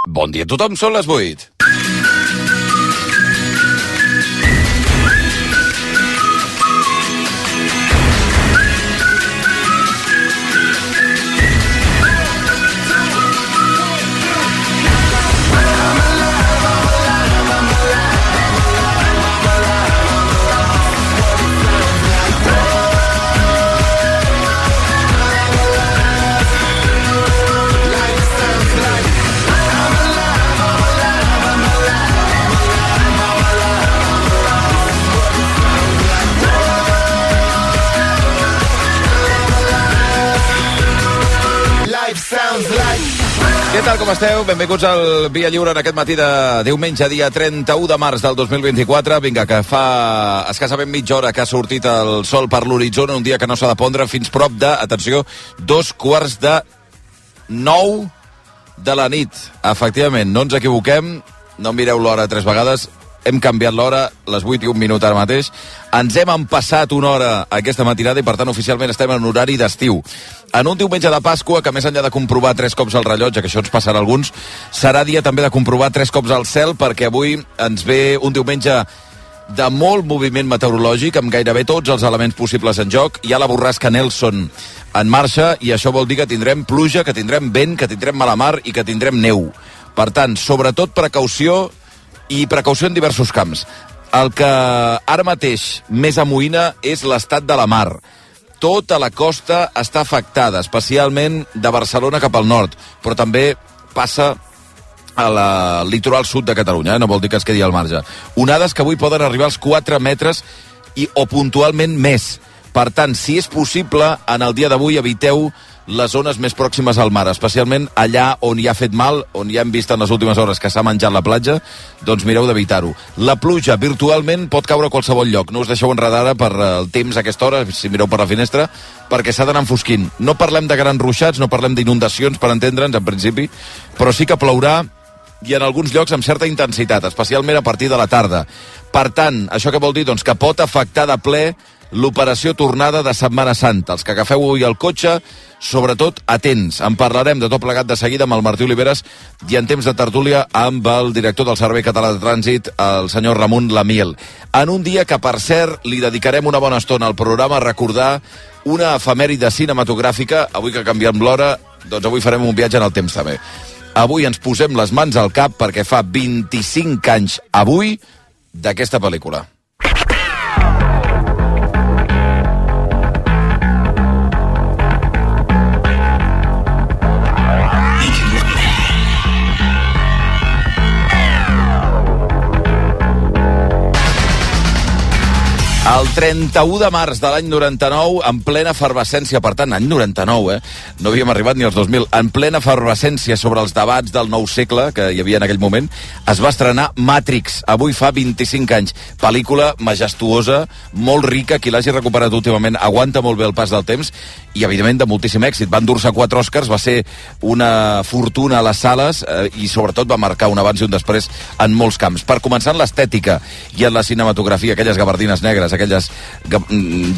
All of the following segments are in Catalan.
Bon dia a tothom, són les 8. Què tal, com esteu? Benvinguts al Via Lliure en aquest matí de diumenge, dia 31 de març del 2024. Vinga, que fa escassament mitja hora que ha sortit el sol per l'horitzó, un dia que no s'ha de pondre fins prop de, atenció, 8:45 de la nit. Efectivament, no ens equivoquem, no mireu l'hora 3 vegades, hem canviat l'hora, les 8:01 ara mateix. Ens hem empassat una hora aquesta matinada i, per tant, oficialment estem en horari d'estiu. En un diumenge de Pasqua, que més enllà de comprovar 3 cops el rellotge, que això ens passarà a alguns, serà dia també de comprovar 3 cops el cel, perquè avui ens ve un diumenge de molt moviment meteorològic, amb gairebé tots els elements possibles en joc. Hi ha la borrasca Nelson en marxa, i això vol dir que tindrem pluja, que tindrem vent, que tindrem mala mar i que tindrem neu. Per tant, sobretot precaució, i precaució en diversos camps. El que ara mateix més amoïna és l'estat de la mar. Tota la costa està afectada, especialment de Barcelona cap al nord, però també passa al litoral sud de Catalunya, no vol dir que es quedi al marge. Onades que avui poden arribar als 4 metres o puntualment més. Per tant, si és possible, en el dia d'avui eviteu les zones més pròximes al mar, especialment allà on hi ha fet mal, on ja hem vist en les últimes hores que s'ha menjat la platja, doncs mireu d'evitar-ho. La pluja virtualment pot caure a qualsevol lloc, no us deixeu enredar ara per el temps a aquesta hora, si mireu per la finestra, perquè s'ha d'anar enfosquint. No parlem de grans ruixats, no parlem d'inundacions, per entendre'ns, en principi, però sí que plourà, i en alguns llocs amb certa intensitat, especialment a partir de la tarda. Per tant, això què vol dir? Doncs que pot afectar de ple l'operació tornada de Setmana Santa. Els que agafeu avui el cotxe, sobretot atents. En parlarem de tot plegat de seguida amb el Martí Oliveres i en temps de tertúlia amb el director del Servei Català de Trànsit, el senyor Ramon Lamiel. En un dia que, per cert, li dedicarem una bona estona al programa a recordar una efemèride cinematogràfica. Avui que canviem l'hora, doncs avui farem un viatge en el temps també. Avui ens posem les mans al cap perquè fa 25 anys avui d'aquesta pel·lícula. El 31 de març de l'any 99, en plena efervescència, per tant, any 99, no havíem arribat ni als 2000, en plena efervescència sobre els debats del nou segle que hi havia en aquell moment, es va estrenar Matrix, avui fa 25 anys. Pel·lícula majestuosa, molt rica, qui l'hagi recuperat últimament aguanta molt bé el pas del temps, i evidentment de moltíssim èxit. Va endur-se 4 Oscars, va ser una fortuna a les sales i sobretot va marcar un abans i un després en molts camps. Per començar en l'estètica i en la cinematografia, aquelles gabardines negres, aquelles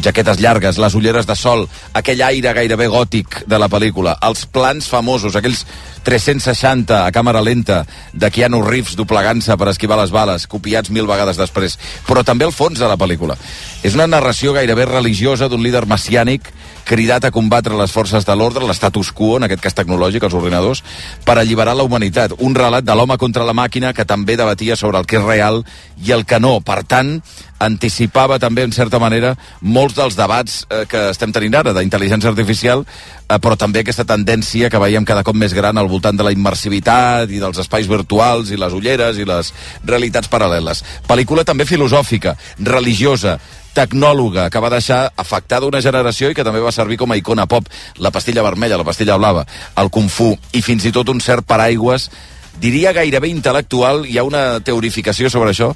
jaquetes llargues, les ulleres de sol, aquell aire gairebé gòtic de la pel·lícula, els plans famosos, aquells 360 a càmera lenta de Keanu Reeves doblegant-se per esquivar les bales, copiats 1000 vegades després, però també el fons de la pel·lícula. És una narració gairebé religiosa d'un líder messiànic cridat a combatre les forces de l'ordre, l'estatus quo, en aquest cas tecnològic, els ordinadors, per alliberar la humanitat. Un relat de l'home contra la màquina que també debatia sobre el que és real i el que no. Per tant, anticipava també, en certa manera, molts dels debats que estem tenint ara, d'intel·ligència artificial, però també aquesta tendència que veiem cada cop més gran al voltant de la immersivitat i dels espais virtuals i les ulleres i les realitats paral·leles. Pel·lícula també filosòfica, religiosa, tecnòloga, que va deixar afectada una generació i que també va servir com a icona pop. La pastilla vermella, la pastilla blava, el Kung Fu i fins i tot un cert paraigües, diria gairebé intel·lectual. Hi ha una teorificació sobre això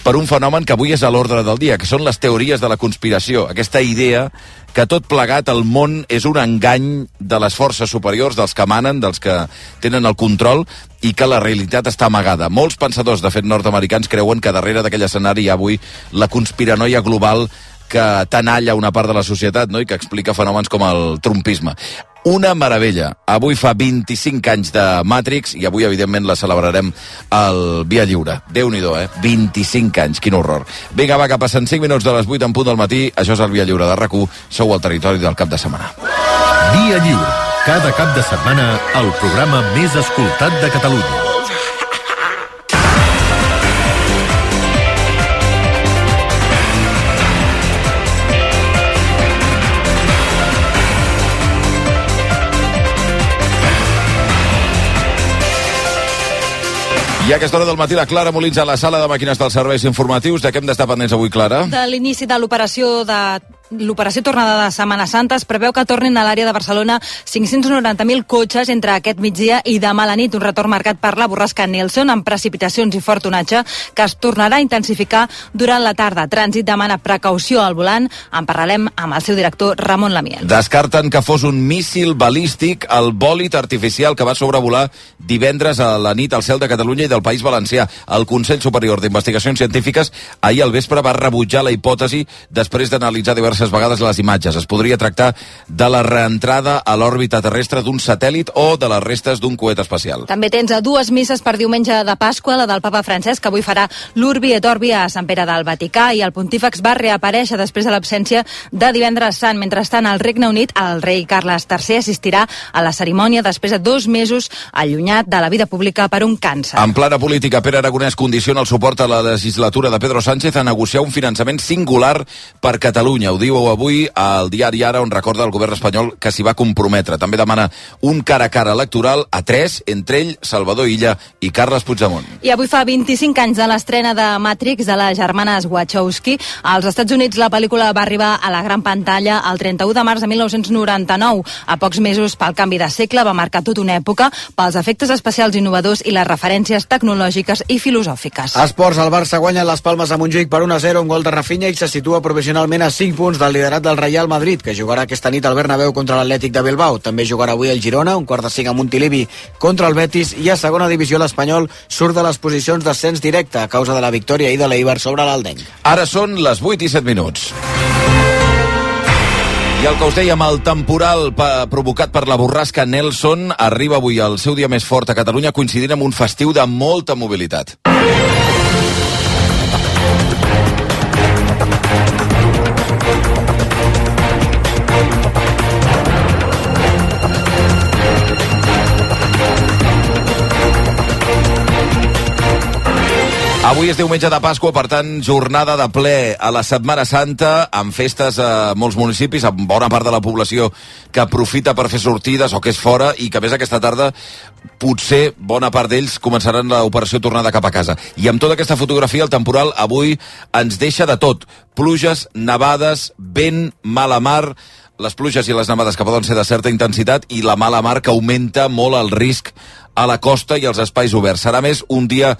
per un fenomen que avui és a l'ordre del dia, que són les teories de la conspiració. Aquesta idea que tot plegat el món és un engany de les forces superiors, dels que manen, dels que tenen el control, i que la realitat està amagada. Molts pensadors, de fet nord-americans, creuen que darrere d'aquell escenari hi ha avui la conspiranoia global que tenalla una part de la societat, no?, i que explica fenòmens com el trumpisme. Una meravella. Avui fa 25 anys de Matrix i avui, evidentment, la celebrarem al Via Lliure. Déu-n'hi-do, 25 anys, quin horror. Vinga, va, que passen 5 minuts de les 8 en punt del matí. Això és el Via Lliure de RAC1. Sou al territori del cap de setmana. Via Lliure. Cada cap de setmana, el programa més escoltat de Catalunya. I a aquesta hora del matí la Clara Molins a la sala de màquines dels serveis informatius. De què hem d'estar pendents avui, Clara? De l'inici de l'operació tornada de Setmana Santa es preveu que tornin a l'àrea de Barcelona 590.000 cotxes entre aquest migdia i demà a la nit, un retorn marcat per la borrasca Nelson amb precipitacions i fort onatge que es tornarà a intensificar durant la tarda. Trànsit demana precaució al volant. En parlarem amb el seu director Ramon Lamiel. Descarten que fos un míssil balístic el bòlit artificial que va sobrevolar divendres a la nit al cel de Catalunya i del País Valencià. El Consell Superior d'Investigacions Científiques ahir al vespre va rebutjar la hipòtesi després d'analitzar diverses vegades les imatges. Es podria tractar de la reentrada a l'òrbita terrestre d'un satèl·lit o de les restes d'un coet espacial. També tens dues misses per diumenge de Pasqua, la del papa Francesc, que avui farà l'Urbi et Orbi a Sant Pere del Vaticà, i el pontífex va reaparèixer després de l'absència de divendres sant. Mentrestant, al Regne Unit, el rei Carles III assistirà a la cerimònia després de 2 mesos allunyat de la vida pública per un càncer. En plana política, Pere Aragonès condiciona el suport a la legislatura de Pedro Sánchez a negociar un finançament singular per Catalunya. Ho diu avui al diari Ara, on recorda el govern espanyol que s'hi va comprometre. També demana un cara a cara electoral a 3, entre ell, Salvador Illa i Carles Puigdemont. I avui fa 25 anys de l'estrena de Matrix de les germanes Wachowski. Als Estats Units la pel·lícula va arribar a la gran pantalla el 31 de març de 1999. A pocs mesos pel canvi de segle va marcar tota una època pels efectes especials innovadors i les referències tecnològiques i filosòfiques. Esports, el Barça guanya les Palmes a Montjuïc per 1-0, un gol de Rafinha, i se situa provisionalment a 5 punts del liderat del Real Madrid, que jugarà aquesta nit al Bernabéu contra l'Atlètic de Bilbao. També jugarà avui el Girona, 4:45 a Montilivi contra el Betis, i a segona divisió l'Espanyol surt de les posicions d'ascens directe a causa de la victòria ahir de l'Eibar sobre l'Aldenc. Ara són les 8 i 7 minuts. I el que us dèiem, el temporal provocat per la borrasca Nelson arriba avui al seu dia més fort a Catalunya, coincidint amb un festiu de molta mobilitat. Avui és diumenge de Pasqua, per tant, jornada de ple a la Setmana Santa, amb festes a molts municipis, amb bona part de la població que aprofita per fer sortides o que és fora, i que a més aquesta tarda potser bona part d'ells començaran l'operació tornada cap a casa. I amb tota aquesta fotografia, el temporal avui ens deixa de tot. Pluges, nevades, vent, mala mar, les pluges i les nevades que poden ser de certa intensitat, i la mala mar que augmenta molt el risc a la costa i als espais oberts. Serà més un dia,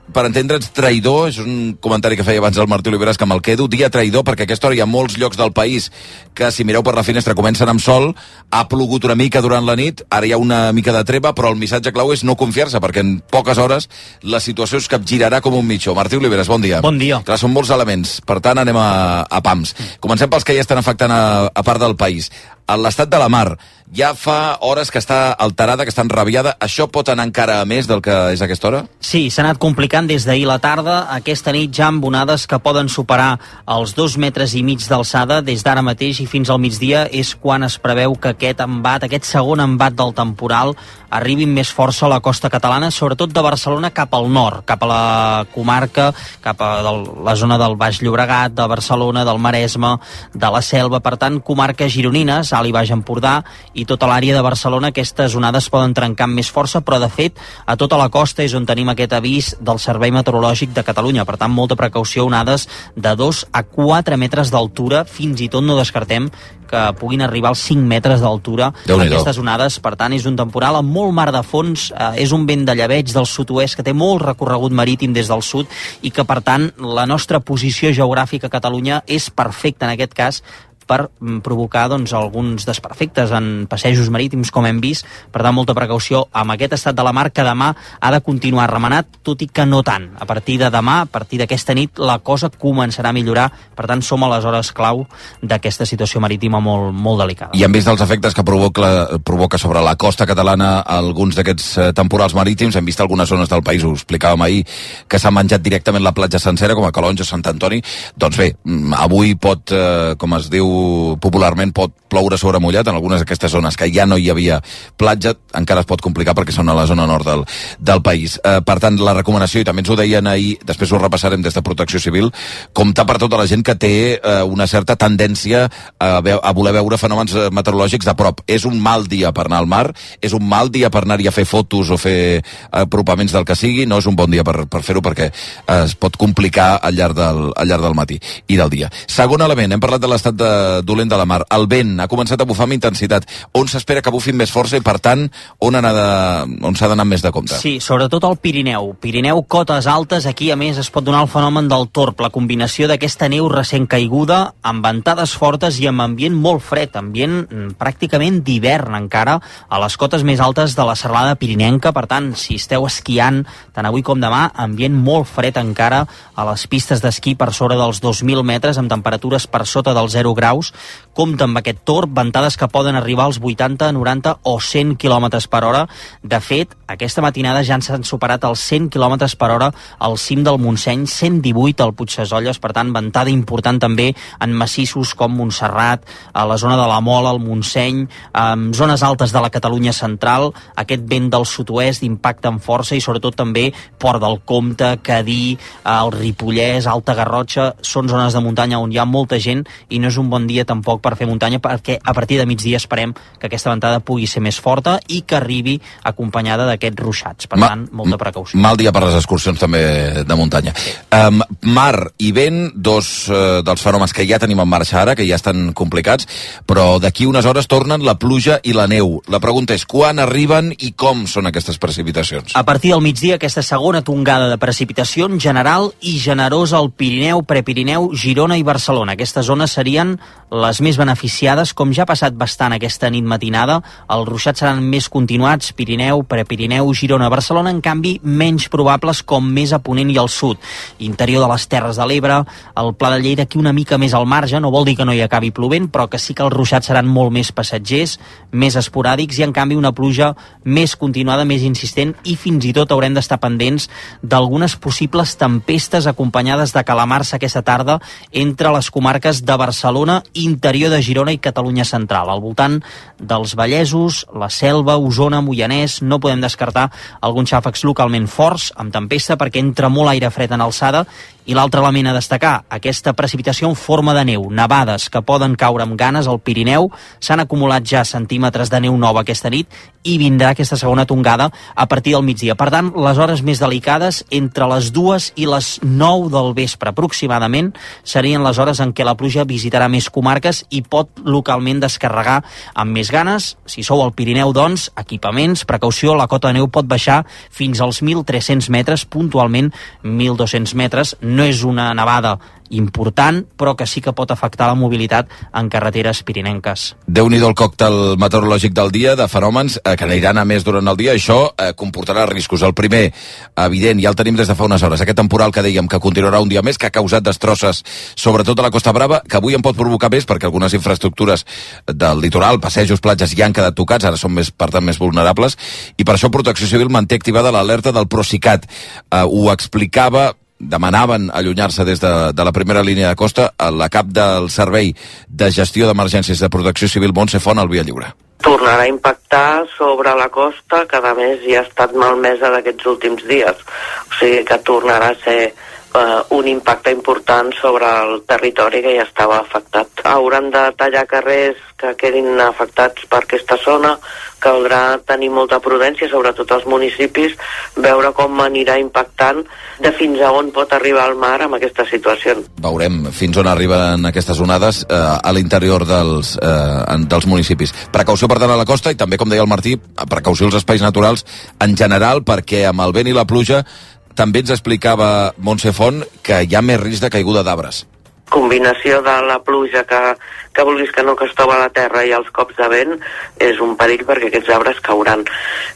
per entendre'ns, traïdor. És un comentari que feia abans el Martí Oliveres, que me'l quedo. Dia traïdor, perquè a aquesta hora hi ha molts llocs del país que, si mireu per la finestra, comencen amb sol. Ha plogut una mica durant la nit, ara hi ha una mica de treva, però el missatge clau és no confiar-se, perquè en poques hores la situació es capgirarà com un mitjó. Martí Oliveres, bon dia. Bon dia. Clar, són molts elements, per tant anem a pams. Comencem pels que ja estan afectant a part del país. L'estat de la mar ja fa hores que està alterada, que està enrabiada. Això pot anar encara a més del que és a aquesta hora? Sí, s'ha anat complicant des d'ahir la tarda. Aquesta nit ja amb onades que poden superar els 2,5 metres d'alçada. Des d'ara mateix i fins al migdia és quan es preveu que aquest segon embat del temporal arribi amb més força a la costa catalana, sobretot de Barcelona cap al nord, cap a la comarca, cap a la zona del Baix Llobregat, de Barcelona, del Maresme, de la Selva. Per tant, comarques gironines, Alt i Baix Empordà i tota l'àrea de Barcelona, aquestes onades poden trencar amb més força, però de fet a tota la costa és on tenim aquest avís del Servei Meteorològic de Catalunya. Per tant, molta precaució, onades de 2 a 4 metres d'altura, fins i tot no descartem que puguin arribar als 5 metres d'altura aquestes onades. Per tant, és un temporal amb molt mar de fons, és un vent de llebeig del sud-oest que té molt recorregut marítim des del sud, i que per tant la nostra posició geogràfica a Catalunya és perfecta en aquest cas per provocar alguns desperfectes en passejos marítims, com hem vist. Per tant, molta precaució amb aquest estat de la mar, que demà ha de continuar remenat, tot i que no tant. A partir de demà, a partir d'aquesta nit, la cosa començarà a millorar. Per tant, som a les hores clau d'aquesta situació marítima molt, molt delicada. I hem vist els efectes que provoca sobre la costa catalana alguns d'aquests temporals marítims. Hem vist algunes zones del país, ho explicàvem ahir, que s'ha menjat directament la platja sencera, com a Calonge, Sant Antoni. Doncs bé, avui pot, com es diu popularment, pot ploure sobre mullat en algunes d'aquestes zones que ja no hi havia platja, encara es pot complicar perquè són a la zona nord del país. Per tant, la recomanació, i també ens ho deien ahir, després ho repassarem des de Protecció Civil, comptar per tota la gent que té una certa tendència a voler veure fenòmens meteorològics de prop. És un mal dia per anar al mar, és un mal dia per anar-hi a fer fotos o fer apropaments del que sigui, no és un bon dia per fer-ho perquè es pot complicar al llarg del matí i del dia. Segon element, hem parlat de l'estat dolent de la mar. El vent ha començat a bufar amb intensitat. On s'espera que bufi més força i, per tant, on s'ha d'anar més de compte? Sí, sobretot al Pirineu. Pirineu, cotes altes, aquí a més es pot donar el fenomen del torb, la combinació d'aquesta neu recent caiguda, amb ventades fortes i amb ambient molt fred, ambient pràcticament d'hivern encara, a les cotes més altes de la serralada pirinenca. Per tant, si esteu esquiant, tant avui com demà, ambient molt fred encara a les pistes d'esquí per sobre dels 2.000 metres, amb temperatures per sota dels 0 graus. Compte amb aquest torb, ventades que poden arribar als 80, 90 o 100 km per hora. De fet, aquesta matinada ja s'han superat els 100 km per hora al cim del Montseny, 118 al Puigsesolles. Per tant, ventada important també en massissos com Montserrat, a la zona de la Mola, al Montseny, en zones altes de la Catalunya central. Aquest vent del sud-oest d'impacte amb força, i sobretot també Port del Comte, Cadí, el Ripollès, Alta Garrotxa, són zones de muntanya on hi ha molta gent i no és un bon dia tampoc per fer muntanya, perquè a partir de migdia esperem que aquesta ventada pugui ser més forta i que arribi acompanyada d'aquests ruixats. Per tant, molta precaució. Mal dia per les excursions també de muntanya. Mar i vent, dos dels fenòmens que ja tenim en marxa ara, que ja estan complicats, però d'aquí unes hores tornen la pluja i la neu. La pregunta és quan arriben i com són aquestes precipitacions? A partir del migdia, aquesta segona tongada de precipitació general i generosa al Pirineu, Prepirineu, Girona i Barcelona. Aquestes zones serien les més beneficiades, com ja ha passat bastant aquesta nit matinada. Els ruixats seran més continuats, Pirineu, Prepirineu, Girona, Barcelona, en canvi menys probables com més a ponent i al sud. Interior de les Terres de l'Ebre, el Pla de Lleida aquí una mica més al marge, no vol dir que no hi acabi plovent, però que sí que els ruixats seran molt més passatgers, més esporàdics, i en canvi una pluja més continuada, més insistent, i fins i tot haurem d'estar pendents d'algunes possibles tempestes acompanyades de calamarsa aquesta tarda entre les comarques de Barcelona, interior de Girona i Catalunya central. Al voltant dels Vallesos, la Selva, Osona, Moianès, no podem descartar alguns xàfecs localment forts, amb tempesta, perquè entra molt aire fred en alçada. I l'altre element a destacar, aquesta precipitació en forma de neu, nevades que poden caure amb ganes al Pirineu. S'han acumulat ja centímetres de neu nova aquesta nit i vindrà aquesta segona tongada a partir del migdia. Per tant, les hores més delicades, entre les 2 i les 9 del vespre aproximadament, serien les hores en què la pluja visitarà més comarques i pot localment descarregar amb més ganes. Si sou al Pirineu, doncs, equipaments, precaució, la cota de neu pot baixar fins als 1.300 metres, puntualment 1.200 metres. No és una nevada important, però que sí que pot afectar la mobilitat en carreteres pirinenques. Déu-n'hi-do el còctel meteorològic del dia, de fenòmens que aniran a més durant el dia. Això comportarà riscos. El primer, evident, ja el tenim des de fa unes hores, aquest temporal que dèiem que continuarà un dia més, que ha causat destrosses sobretot a la Costa Brava, que avui en pot provocar més perquè algunes infraestructures del litoral, passejos, platges, ja han quedat tocats, ara són més, per tant, més vulnerables, i per això Protecció Civil manté activada l'alerta del Procicat. Ho explicava, demanaven allunyar-se des de la primera línia de costa a la cap del Servei de Gestió d'Emergències de Protecció Civil, Montse Font, al Via Lliure. Tornarà a impactar sobre la costa, que a més ja ha estat malmesa d'aquests últims dies. O sigui que tornarà a ser un impacte important sobre el territori que ja estava afectat. Hauran de tallar carrers que quedin afectats per aquesta zona, caldrà tenir molta prudència, sobretot als municipis, veure com anirà impactant de fins a on pot arribar el mar amb aquesta situació. Veurem fins on arriben aquestes onades a l'interior dels municipis. Precaució, per tant, a la costa, i també, com deia el Martí, precaució als espais naturals en general, perquè amb el vent i la pluja també ens explicava Montse Font que hi ha més risc de caiguda d'arbres. Combinació de la pluja que que vulguis que no, que es troba a la terra i els cops de vent, és un perill perquè aquests arbres cauran.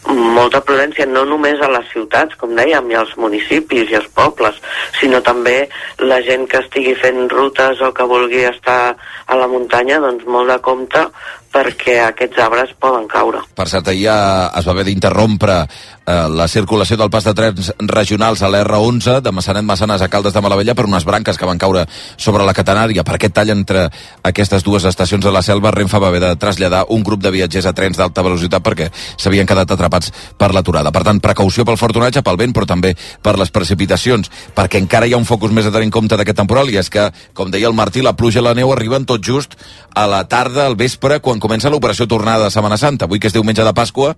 Molta prudència no només a les ciutats, com dèiem, i als municipis i als pobles, sinó també la gent que estigui fent rutes o que vulgui estar a la muntanya, doncs molt de compte, perquè aquests arbres poden caure. Per cert, ahir es va haver d'interrompre la circulació del pas de trens regionals a l'R11 de Massanet-Massanes a Caldes de Malavella per unes branques que van caure sobre la catenària. Per aquest tall entre aquestes dues estacions de la Selva, Renfe va haver de traslladar un grup de viatgers a trens d'alta velocitat perquè s'havien quedat atrapats per l'aturada. Per tant, precaució pel fort onatge, pel vent, però també per les precipitacions, perquè encara hi ha un focus més a tenir en compte d'aquest temporal, i és que, com deia el Martí, la pluja i la neu arriben tot just a la tarda, al vespre, quan comença l'operació tornada de Setmana Santa. Avui, que és diumenge de Pasqua,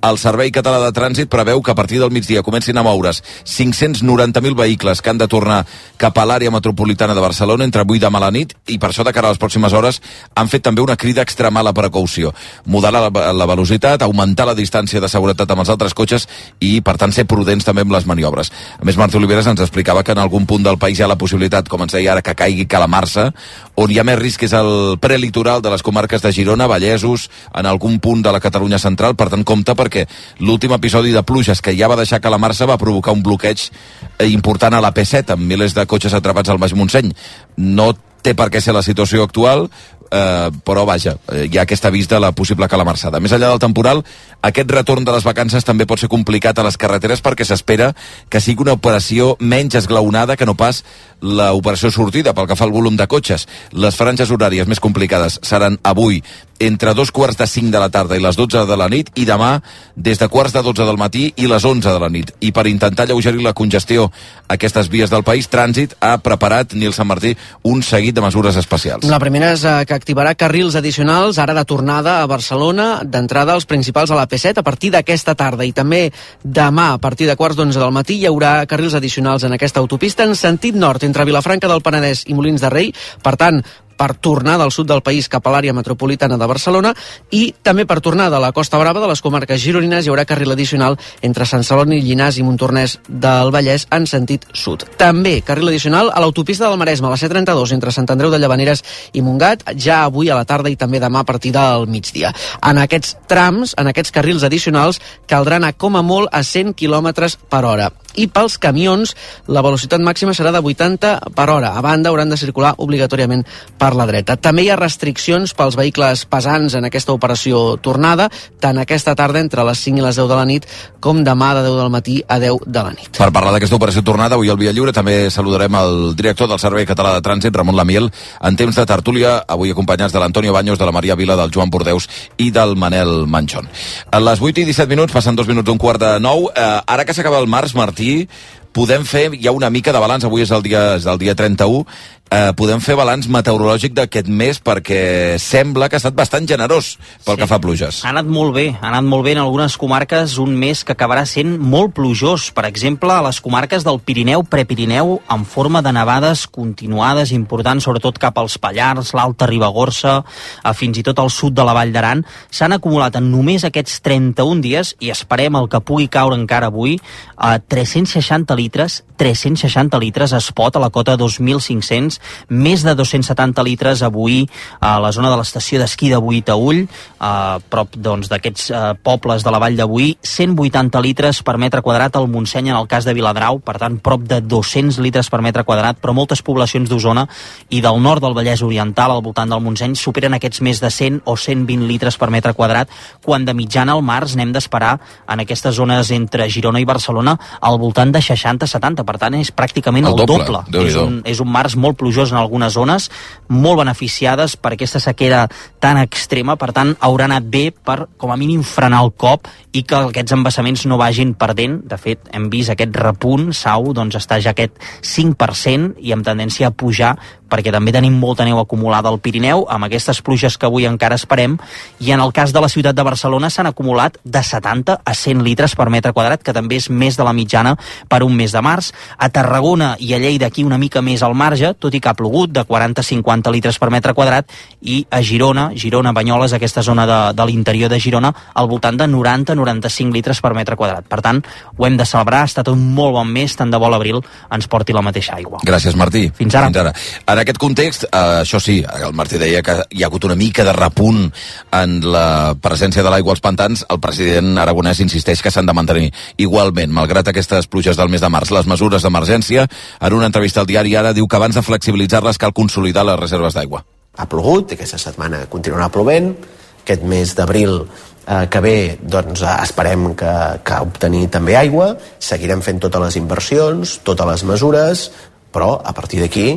el Servei Català de Trànsit preveu que a partir del migdia comencin a moure's 590.000 vehicles que han de tornar cap a l'àrea metropolitana de Barcelona entre avui i demà a la nit, i per això de cara a les pròximes hores han fet també una crida a extremar la precaució, modelar la velocitat, augmentar la distància de seguretat amb els altres cotxes i, per tant, ser prudents també amb les maniobres. A més, Martí Oliveres ens explicava que en algun punt del país hi ha la possibilitat, com ens deia ara, que caigui calamarsa, on hi ha més risc és el prelitoral de les comarques de Girona, Vallesos, en algun punt de la Catalunya central. Per tant, compte, perquè l'últim episodi de pluges que ja va deixar calamarsa va provocar un bloqueig important a la P7 amb milers de cotxes atrapats al Baix Montseny. No té per què ser la situació actual, però vaja, hi ha aquest avís de la possible calamarsada. Més enllà del temporal, aquest retorn de les vacances també pot ser complicat a les carreteres perquè s'espera que sigui una operació menys esglaonada que no pas l'operació sortida pel que fa al volum de cotxes. Les franges horàries més complicades seran avui entre 2:45 de la tarda i les 12 de la nit, i demà des de 11:45 del matí i les 11 de la nit. I per intentar alleugerir la congestió a aquestes vies del país, Trànsit ha preparat, Nil Sant Martí, un seguit de mesures especials. La primera és que activarà carrils addicionals ara de tornada a Barcelona, d'entrada als principals a la P7 a partir d'aquesta tarda, i també demà a partir de 11:15 del matí hi haurà carrils addicionals en aquesta autopista en sentit nord entre Vilafranca del Penedès i Molins de Rei, per tant, per tornar del sud del país cap a l'àrea metropolitana de Barcelona, i també per tornar de la Costa Brava de les comarques gironines hi haurà carril addicional entre Sant Celoni, Llinars i Montornès del Vallès en sentit sud. També carril addicional a l'autopista del Maresme, a la C32 entre Sant Andreu de Llavaneres i Montgat, ja avui a la tarda i també demà a partir del migdia. En aquests trams, en aquests carrils addicionals, caldrà anar com a molt a 100 km per hora. I pels camions la velocitat màxima serà de 80 per hora. A banda, hauran de circular obligatòriament per la dreta. També hi ha restriccions pels vehicles pesants en aquesta operació tornada, tant aquesta tarda entre les 5 i les 10 de la nit, com demà de 10 del matí a 10 de la nit. Per parlar d'aquesta operació tornada, avui al Via Lliure també saludarem el director del Servei Català de Trànsit, Ramon Lamiel, en temps de tertúlia, avui acompanyats de l'Antonio Baños, de la Maria Vila, del Joan Bordeus i del Manel Manchón. A les 8:17, passen 2 minuts d'un 8:45. Ara que s'acaba el març, Martí, podem fer ja una mica de balanç. Avui és el dia 31. Podem fer balanç meteorològic d'aquest mes, perquè sembla que ha estat bastant generós pel que fa a pluges. Ha anat molt bé en algunes comarques, un mes que acabarà sent molt plujós. Per exemple, a les comarques del Pirineu, Prepirineu, en forma de nevades continuades importants, sobretot cap als Pallars, l'Alta Ribagorça, fins i tot al sud de la Vall d'Aran, s'han acumulat en només aquests 31 dies, i esperem el que pugui caure encara avui, 360 litres es pot a la cota 2.500, més de 270 litres avui a la zona de l'estació d'esquí de Boí-Taüll, prop d'aquests pobles de la Vall de Boí, 180 litres per metre quadrat al Montseny en el cas de Viladrau, per tant prop de 200 litres per metre quadrat, però moltes poblacions d'Osona i del nord del Vallès Oriental al voltant del Montseny superen aquests més de 100 o 120 litres per metre quadrat, quan de mitjana al març n'hem d'esperar en aquestes zones entre Girona i Barcelona al voltant de 60-70, per tant és pràcticament el doble. És un març molt plujós en algunes zones, molt beneficiades per aquesta sequera tan extrema, per tant haurà anat bé per com a mínim frenar el cop i que aquests embassaments no vagin perdent. De fet, hem vist aquest repunt, Sau està ja aquest 5% i amb tendència a pujar, perquè també tenim molta neu acumulada al Pirineu, amb aquestes pluges que avui encara esperem, i en el cas de la ciutat de Barcelona s'han acumulat de 70 a 100 litres per metre quadrat, que també és més de la mitjana per un mes de març. A Tarragona i a Lleida aquí una mica més al marge, tot i que ha plogut, de 40-50 litres per metre quadrat, i a Girona, Banyoles, aquesta zona de l'interior de Girona, al voltant de 90-95 litres per metre quadrat. Per tant, ho hem de celebrar, ha estat un molt bon mes, tant de bo l'abril ens porti la mateixa aigua. Gràcies, Martí. Fins ara. En aquest context, això sí, el Martí deia que hi ha hagut una mica de repunt en la presència de l'aigua als pantans. El president aragonès insisteix que s'han de mantenir igualment, malgrat aquestes pluges del mes de març. Les mesures d'emergència, en una entrevista al diari Ara, diu que abans de flexibilitzar-les cal consolidar les reserves d'aigua. Ha plogut, aquesta setmana continuarà plovent, aquest mes d'abril que ve doncs, esperem que obtenir també aigua, seguirem fent totes les inversions, totes les mesures, però a partir d'aquí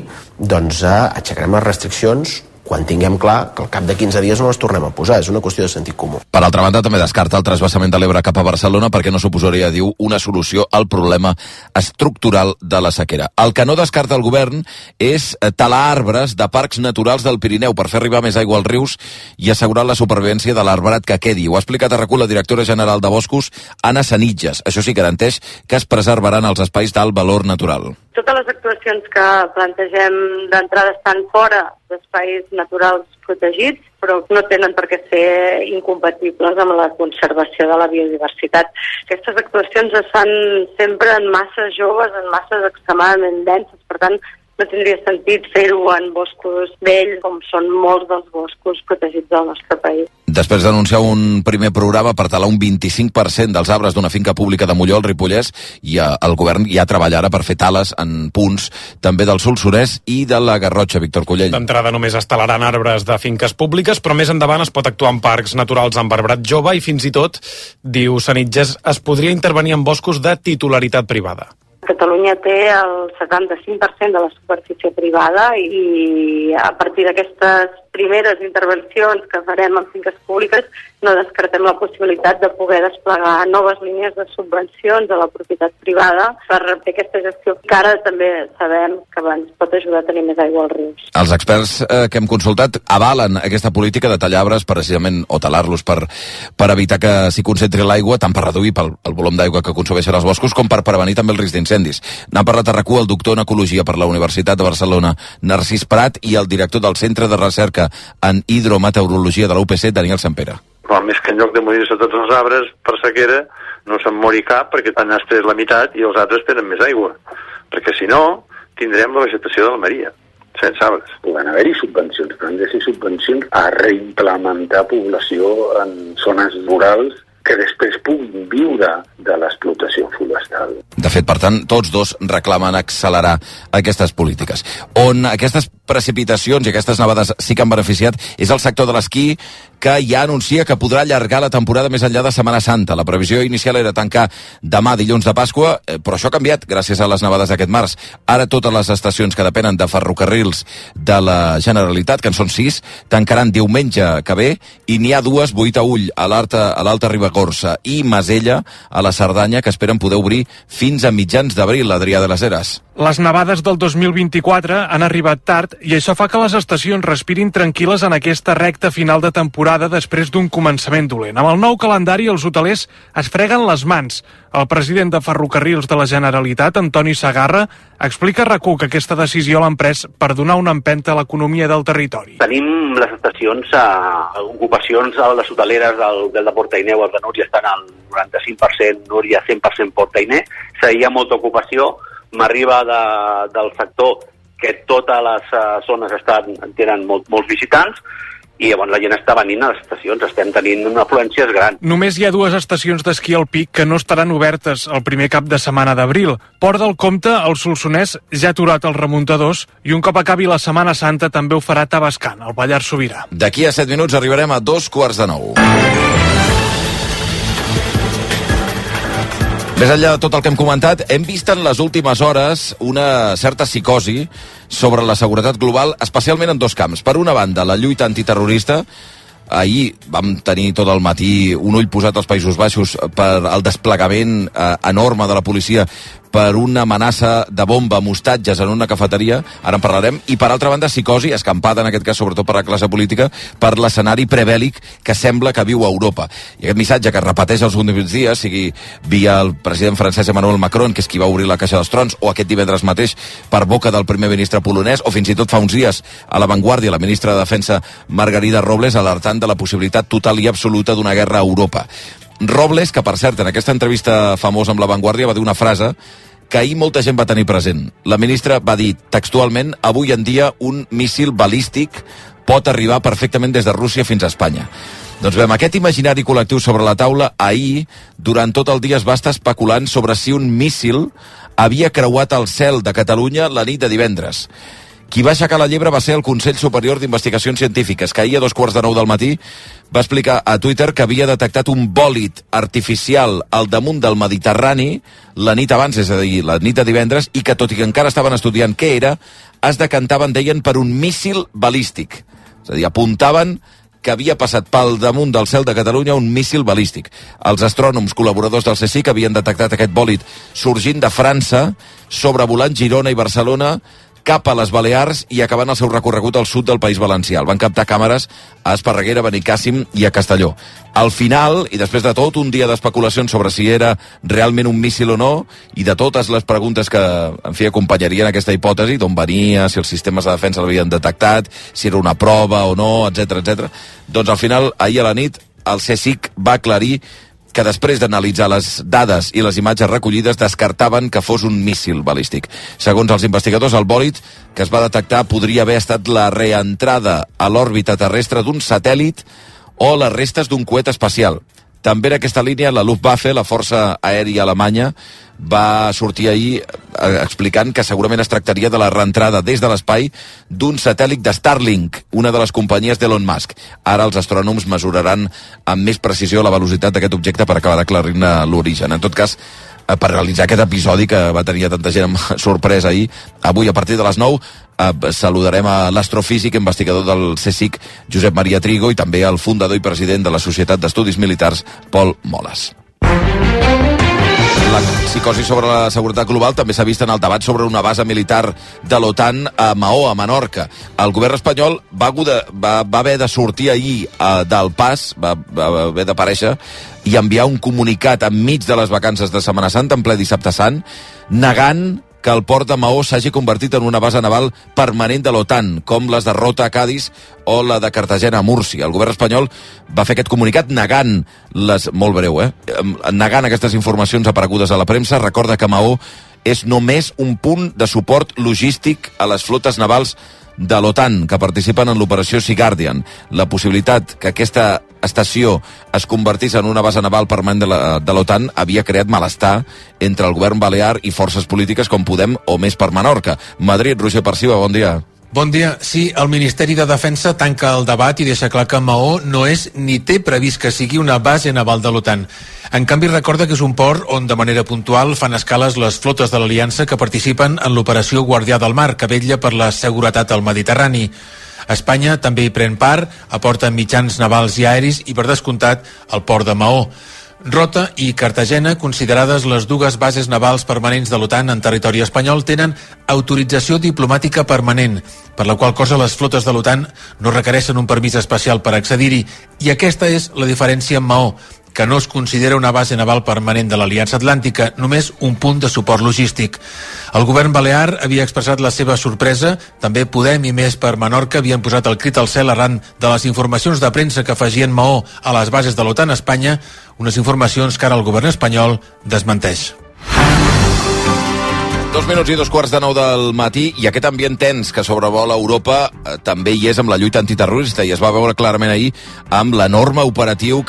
doncs, aixecarem les restriccions quan tinguem clar que al cap de 15 dies no les tornem a posar. És una qüestió de sentit comú. Per altra banda, també descarta el trasbassament de l'Ebre cap a Barcelona perquè no suposaria, diu, una solució al problema estructural de la sequera. El que no descarta el govern és talar arbres de parcs naturals del Pirineu per fer arribar més aigua als rius i assegurar la supervivència de l'arbrat que quedi. Ho ha explicat a RAC1 la directora general de Boscos, Anna Sanitges. Això sí, garanteix que es preservaran els espais d'alt valor natural. Totes les actuacions que plantegem d'entrada estan fora d'espais naturals protegits, però no tenen per què ser incompatibles amb la conservació de la biodiversitat. Aquestes actuacions es fan sempre en masses joves, en masses extremadament denses, per tant, no tindria sentit fer-ho en boscos vells, com són molts dels boscos protegits del nostre país. Després d'anunciar un primer programa per talar un 25% dels arbres d'una finca pública de Molló, al Ripollès, i el govern ja treballa ara per fer tales en punts també del Solsonès i de la Garrotxa. Víctor Cullell. D'entrada només es talaran arbres de finques públiques, però més endavant es pot actuar en parcs naturals amb arbrat jove i fins i tot, diu Sanitges, es podria intervenir en boscos de titularitat privada. Catalunya té el 75% de la superfície privada i a partir d'aquestes primeres intervencions que farem en finques públiques no descartem la possibilitat de poder desplegar noves línies de subvencions a la propietat privada per fer aquesta gestió que ara també sabem que ens pot ajudar a tenir més aigua als rius. Els experts que hem consultat avalen aquesta política de tallar arbres precisament o talar-los per evitar que s'hi concentri l'aigua, tant per reduir el volum d'aigua que consumeixen els boscos com per prevenir també el risc d'incendis. N'ha parlat a RAC1 el doctor en Ecologia per la Universitat de Barcelona, Narcís Prat, i el director del Centre de Recerca en Hidrometeorologia de la UPC, Daniel Sampere. Però més que en lloc de morir-se tots els arbres per sequera, no se'n mori cap perquè t'han estès la meitat i els altres tenen més aigua. Perquè si no, tindrem la vegetació de la Maria, sense arbres. Poden haver-hi subvencions, però han de ser subvencions a reimplementar població en zones rurals que després puguin viure de l'explotació forestal. De fet, per tant, tots dos reclamen accelerar aquestes polítiques. On aquestes precipitacions i aquestes nevades sí que han beneficiat és el sector de l'esquí, que ja anuncia que podrà allargar la temporada més enllà de Setmana Santa. La previsió inicial era tancar demà, dilluns de Pasqua, però això ha canviat gràcies a les nevades d'aquest març. Ara totes les estacions que depenen de ferrocarrils de la Generalitat, que en són 6, tancaran diumenge que ve, i n'hi ha 2, Boïtaüll, a l'Alta Ribagorça, i Masella, a la Cerdanya, que esperen poder obrir fins a mitjans d'abril, Adrià de les Heres. Les nevades del 2024 han arribat tard i això fa que les estacions respirin tranquil·les en aquesta recta final de temporada després d'un començament dolent. Amb el nou calendari, els hotelers es freguen les mans. El president de Ferrocarrils de la Generalitat, Antoni Segarra, explica a RAC1 que aquesta decisió l'han pres per donar una empenta a l'economia del territori. Tenim les estacions, ocupacions a les hoteleres del de Portainer o el de Núria estan al 95%, Núria 100% Portainer. Hi ha molta ocupació. M'arriba del sector que totes les zones tenen molts visitants i llavors la gent està venint a les estacions, estem tenint una afluència gran. Només hi ha 2 estacions d'esquí alpí que no estaran obertes el primer cap de setmana d'abril. Port del Comte, el Solsonès, ja ha aturat els remuntadors i un cop acabi la Setmana Santa també ho farà Tavascan, al Pallars Sobirà. D'aquí a 7 minuts arribarem a 8:45. Més enllà de tot el que hem comentat, hem vist en les últimes hores una certa psicosi sobre la seguretat global, especialment en 2 camps. Per una banda, la lluita antiterrorista. Ahir vam tenir tot el matí un ull posat als Països Baixos per el desplegament enorme de la policia per una amenaça de bomba amb hostatges en una cafeteria, ara en parlarem, i per altra banda psicosi, escampada en aquest cas sobretot per la classe política, per l'escenari prebèl·lic que sembla que viu a Europa. I aquest missatge que es repeteix els últims dies, sigui via el president francès Emmanuel Macron, que és qui va obrir la Caixa dels Trons, o aquest divendres mateix per boca del primer ministre polonès, o fins i tot fa uns dies a La Vanguardia, la ministra de Defensa Margarida Robles, alertant de la possibilitat total i absoluta d'una guerra a Europa. Robles, que per cert en aquesta entrevista famosa amb La Vanguardia va dir una frase que ahir molta gent va tenir present. La ministra va dir textualment: avui en dia un míssil balístic pot arribar perfectament des de Rússia fins a Espanya. Doncs bé, amb aquest imaginari col·lectiu sobre la taula, ahir, durant tot el dia es va estar especulant sobre si un míssil havia creuat el cel de Catalunya la nit de divendres. Qui va aixecar la llebre va ser el Consell Superior d'Investigacions Científiques, que ahir a 8:45 del matí va explicar a Twitter que havia detectat un bòlit artificial al damunt del Mediterrani la nit abans, és a dir, la nit de divendres, i que, tot i que encara estaven estudiant què era, es decantaven, deien, per un míssil balístic. És a dir, apuntaven que havia passat pel damunt del cel de Catalunya un míssil balístic. Els astrònoms col·laboradors del CSIC havien detectat aquest bòlit sorgint de França, sobrevolant Girona i Barcelona, cap a les Balears i acabant el seu recorregut al sud del País Valencià. El van captar càmeres a Esparreguera, Benicàssim i a Castelló. Al final, i després de tot un dia d'especulacions sobre si era realment un míssil o no, i de totes les preguntes que, en fi, acompanyarien aquesta hipòtesi, d'on venia, si els sistemes de defensa l'havien detectat, si era una prova o no, etc. Doncs al final, ahir a la nit, el CSIC va aclarir que després d'analitzar les dades i les imatges recollides descartaven que fos un míssil balístic. Segons els investigadors, el bòlit que es va detectar podria haver estat la reentrada a l'òrbita terrestre d'un satèl·lit o les restes d'un coet espacial. També en aquesta línia la Luftwaffe, la força aèria alemanya, va sortir ahir explicant que segurament es tractaria de la reentrada des de l'espai d'un satèl·lit de Starlink, una de les companyies d'Elon Musk. Ara els astrònoms mesuraran amb més precisió la velocitat d'aquest objecte per acabar d'aclarir-ne l'origen. En tot cas, per realitzar aquest episodi que va tenir tanta gent amb sorpresa ahir, avui a partir de les 9 saludarem a l'astrofísic investigador del CSIC, Josep Maria Trigo, i també al fundador i president de la Societat d'Estudis Militars, Pol Moles. La psicosi sobre la seguretat global també s'ha vist en el debat sobre una base militar de l'OTAN a Maó, a Menorca. El govern espanyol va haver de sortir ahir del pas, va haver d'aparèixer i enviar un comunicat enmig de les vacances de Setmana Santa, en ple dissabte sant, negant que el port de Maó s'hagi convertit en una base naval permanent de l'OTAN, com les de Rota a Cadis o la de Cartagena a Múrcia. El govern espanyol va fer aquest comunicat negant molt breu, negant aquestes informacions aparegudes a la premsa. Recorda que Maó és només un punt de suport logístic a les flotes navals de l'OTAN que participen en l'operació Sea Guardian. La possibilitat que aquesta estació es convertís en una base naval permanent de l'OTAN havia creat malestar entre el govern balear i forces polítiques com Podem o Més per Menorca. Madrid, Roger Perciba, bon dia. Bon dia. Sí, el Ministeri de Defensa tanca el debat i deixa clar que Maó no és ni té previst que sigui una base naval de l'OTAN. En canvi, recorda que és un port on de manera puntual fan escales les flotes de l'Aliança que participen en l'operació Guardià del Mar, que vetlla per la seguretat al Mediterrani. Espanya també hi pren part, aporta mitjans navals i aeris i, per descomptat, el port de Maó. Rota i Cartagena, considerades les dues bases navals permanents de l'OTAN en territori espanyol, tenen autorització diplomàtica permanent, per la qual cosa les flotes de l'OTAN no requereixen un permís especial per accedir-hi, i aquesta és la diferència amb Maó, que no es considera una base naval permanent de l'Aliança Atlàntica, només un punt de suport logístic. El govern balear havia expressat la seva sorpresa, també Podem i Més per Menorca havien posat el crit al cel arran de les informacions de premsa que afegien Maó a les bases de l'OTAN a Espanya, unes informacions que ara el govern espanyol desmenteix. 2 minuts i 2:15 del matí, i aquest ambient tens que sobrevola Europa també hi és amb la lluita antiterrorista, i es va veure clarament ahir amb l'enorme operatiu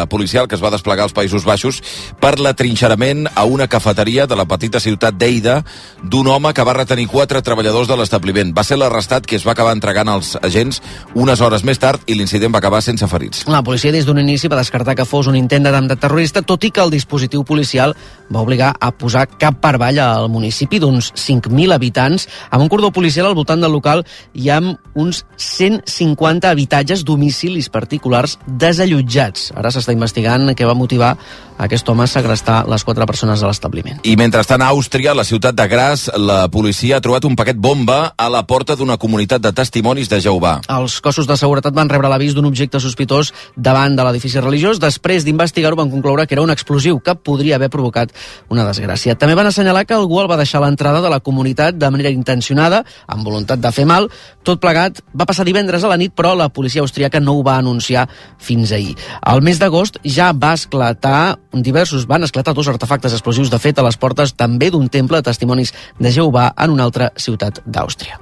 policial que es va desplegar als Països Baixos per l'atrinxerament a una cafeteria de la petita ciutat d'Eida d'un home que va retenir 4 treballadors de l'establiment. Va ser l'arrestat qui es va acabar entregant als agents unes hores més tard i l'incident va acabar sense ferits. La policia des d'un inici va descartar que fos un intent d'atemptat terrorista, tot i que el dispositiu policial va obligar a posar cap per avall al municipi d'uns 5.000 habitants, amb un cordó policial al voltant del local i amb uns 150 habitatges, domicilis particulars desallotjats. Ara s'està investigant què va motivar aquest home a segrestar les 4 persones de l'establiment. I mentrestant, a Àustria, a la ciutat de Graz, la policia ha trobat un paquet bomba a la porta d'una comunitat de testimonis de Jehovà. Els cossos de seguretat van rebre l'avís d'un objecte sospitós davant de l'edifici religiós. Després d'investigar-ho van concloure que era un explosiu que podria haver provocat una desgràcia. També van assenyalar que algú el va deixar a l'entrada de la comunitat de manera intencionada, amb voluntat de fer mal. Tot plegat va passar divendres a la nit, però la policia austríaca no ho va anunciar fins ahir. Al mes d'agost ja va esclatar diversos van esclatar 2 artefactes explosius, de fet, a les portes també d'un temple de testimonis de Jehovà en una altra ciutat d'Àustria.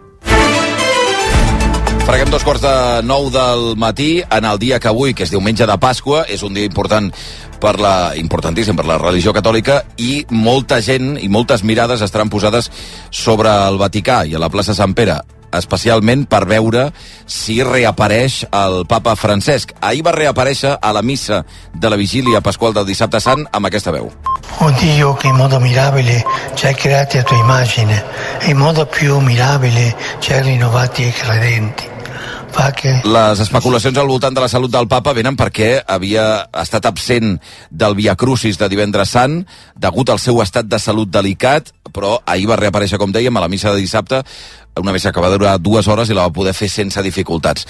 Freguem 2:45 del matí en el dia que avui, que és diumenge de Pasqua, és un dia importantíssim per la religió catòlica, i molta gent i moltes mirades estaran posades sobre el Vaticà i a la plaça Sant Pere, especialment per veure si reapareix el papa Francesc. Ahir va reaparèixer a la missa de la vigília pasqual del dissabte sant amb aquesta veu. Oh Dio, che in modo mirabile ci hai creati a tua immagine e in modo più mirabile ci hai rinnovati e credenti. Les especulacions al voltant de la salut del papa venen perquè havia estat absent del Via Crucis de divendres sant degut al seu estat de salut delicat, però ahir va reaparèixer, com dèiem, a la missa de dissabte, una missa que va durar 2 hores i la va poder fer sense dificultats.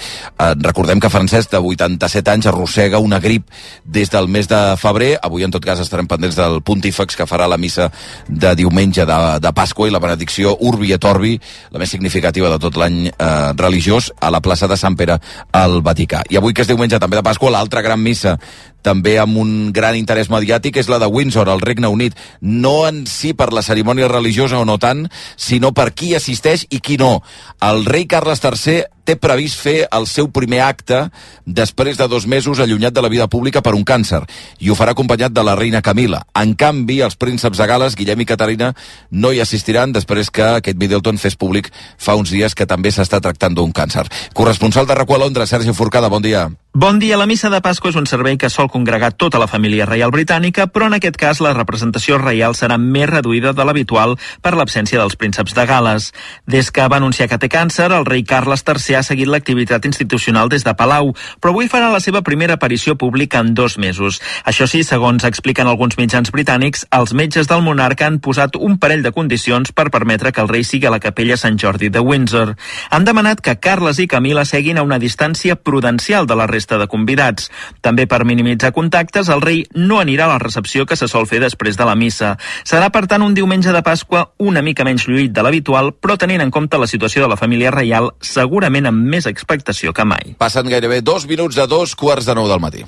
Recordem que Francesc, de 87 anys, arrossega una grip des del mes de febrer. Avui, en tot cas, estarem pendents del pontífex que farà la missa de diumenge de Pasqua i la benedicció Urbi et Orbi, la més significativa de tot l'any religiós, a la plaça de Sant Pere al Vaticà. I avui, que és diumenge també de Pasqua, l'altra gran missa, també amb un gran interès mediàtic, és la de Windsor, al Regne Unit. No en si per la cerimònia religiosa o no tant, sinó per qui assisteix i qui no. El rei Carles III té previst fer el seu primer acte després de 2 mesos allunyat de la vida pública per un càncer, i ho farà acompanyat de la reina Camila. En canvi, els prínceps de Gales, Guillem i Caterina, no hi assistiran després que Kate Middleton fes públic fa uns dies que també s'està tractant d'un càncer. Corresponsal de RAC1 a Londres, Sergi Forcada, bon dia. Bon dia. La missa de Pasqua és un servei que sol congregar tota la família reial britànica, però en aquest cas la representació reial serà més reduïda de l'habitual per l'absència dels prínceps de Gales. Des que va anunciar que té càncer, el rei Carles III ha seguit l'activitat institucional des de Palau, però avui farà la seva primera aparició pública en 2 mesos. Això sí, segons expliquen alguns mitjans britànics, els metges del monarca han posat un parell de condicions per permetre que el rei sigui a la capella Sant Jordi de Windsor. Han demanat que Carles i Camila seguin a una distància prudencial de la resta de convidats. També per minimitzar contactes, el rei no anirà a la recepció que se sol fer després de la missa. Serà, per tant, un diumenge de Pasqua una mica menys lluït de l'habitual, però tenint en compte la situació de la família reial, segurament amb més expectació que mai. Passen gairebé 2 minuts de 2:45 del matí.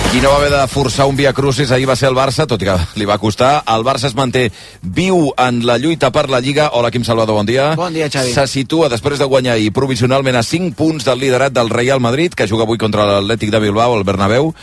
Qui no va haver de forçar un Via Crucis ahir va ser el Barça, tot i que li va costar. El Barça es manté viu en la lluita per la Lliga. Hola, Quim Salvador, bon dia. Bon dia, Xavi. Se situa, després de guanyar ahir provisionalment a 5 punts del liderat del Real Madrid, que juga avui contra l'Atlètic de Bilbao, al Bernabéu,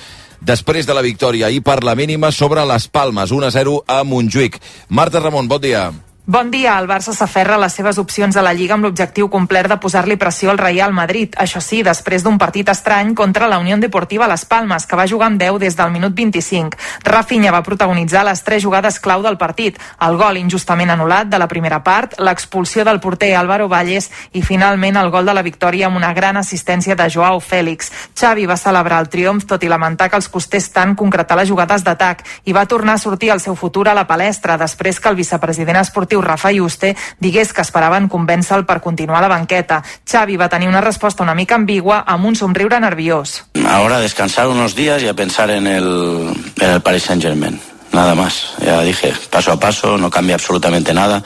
després de la victòria ahir per la mínima sobre les Palmes, 1-0 a Montjuïc. Marta Ramon, bon dia. Bon dia. El Barça s'aferra a les seves opcions a la Lliga amb l'objectiu complet de posar-li pressió al Real Madrid. Això sí, després d'un partit estrany contra la Unió Deportiva Las Palmas, que va jugar amb 10 des del minut 25. Rafinha va protagonitzar les 3 jugades clau del partit. El gol injustament anul·lat de la primera part, l'expulsió del porter Álvaro Valles i finalment el gol de la victòria amb una gran assistència de Joao Félix. Xavi va celebrar el triomf tot i lamentar que els costés tant concretar les jugades d'atac i va tornar a sortir el seu futur a la palestra després que el vicepresident esportiu Rafa Yuste digués que esperaven convèncer-lo per continuar a la banqueta. Xavi va tenir una resposta una mica ambigua amb un somriure nerviós. Ahora descansar unos días y a pensar en el Paris Saint-Germain. Nada más, ya dije, paso a paso, no cambia absolutamente nada.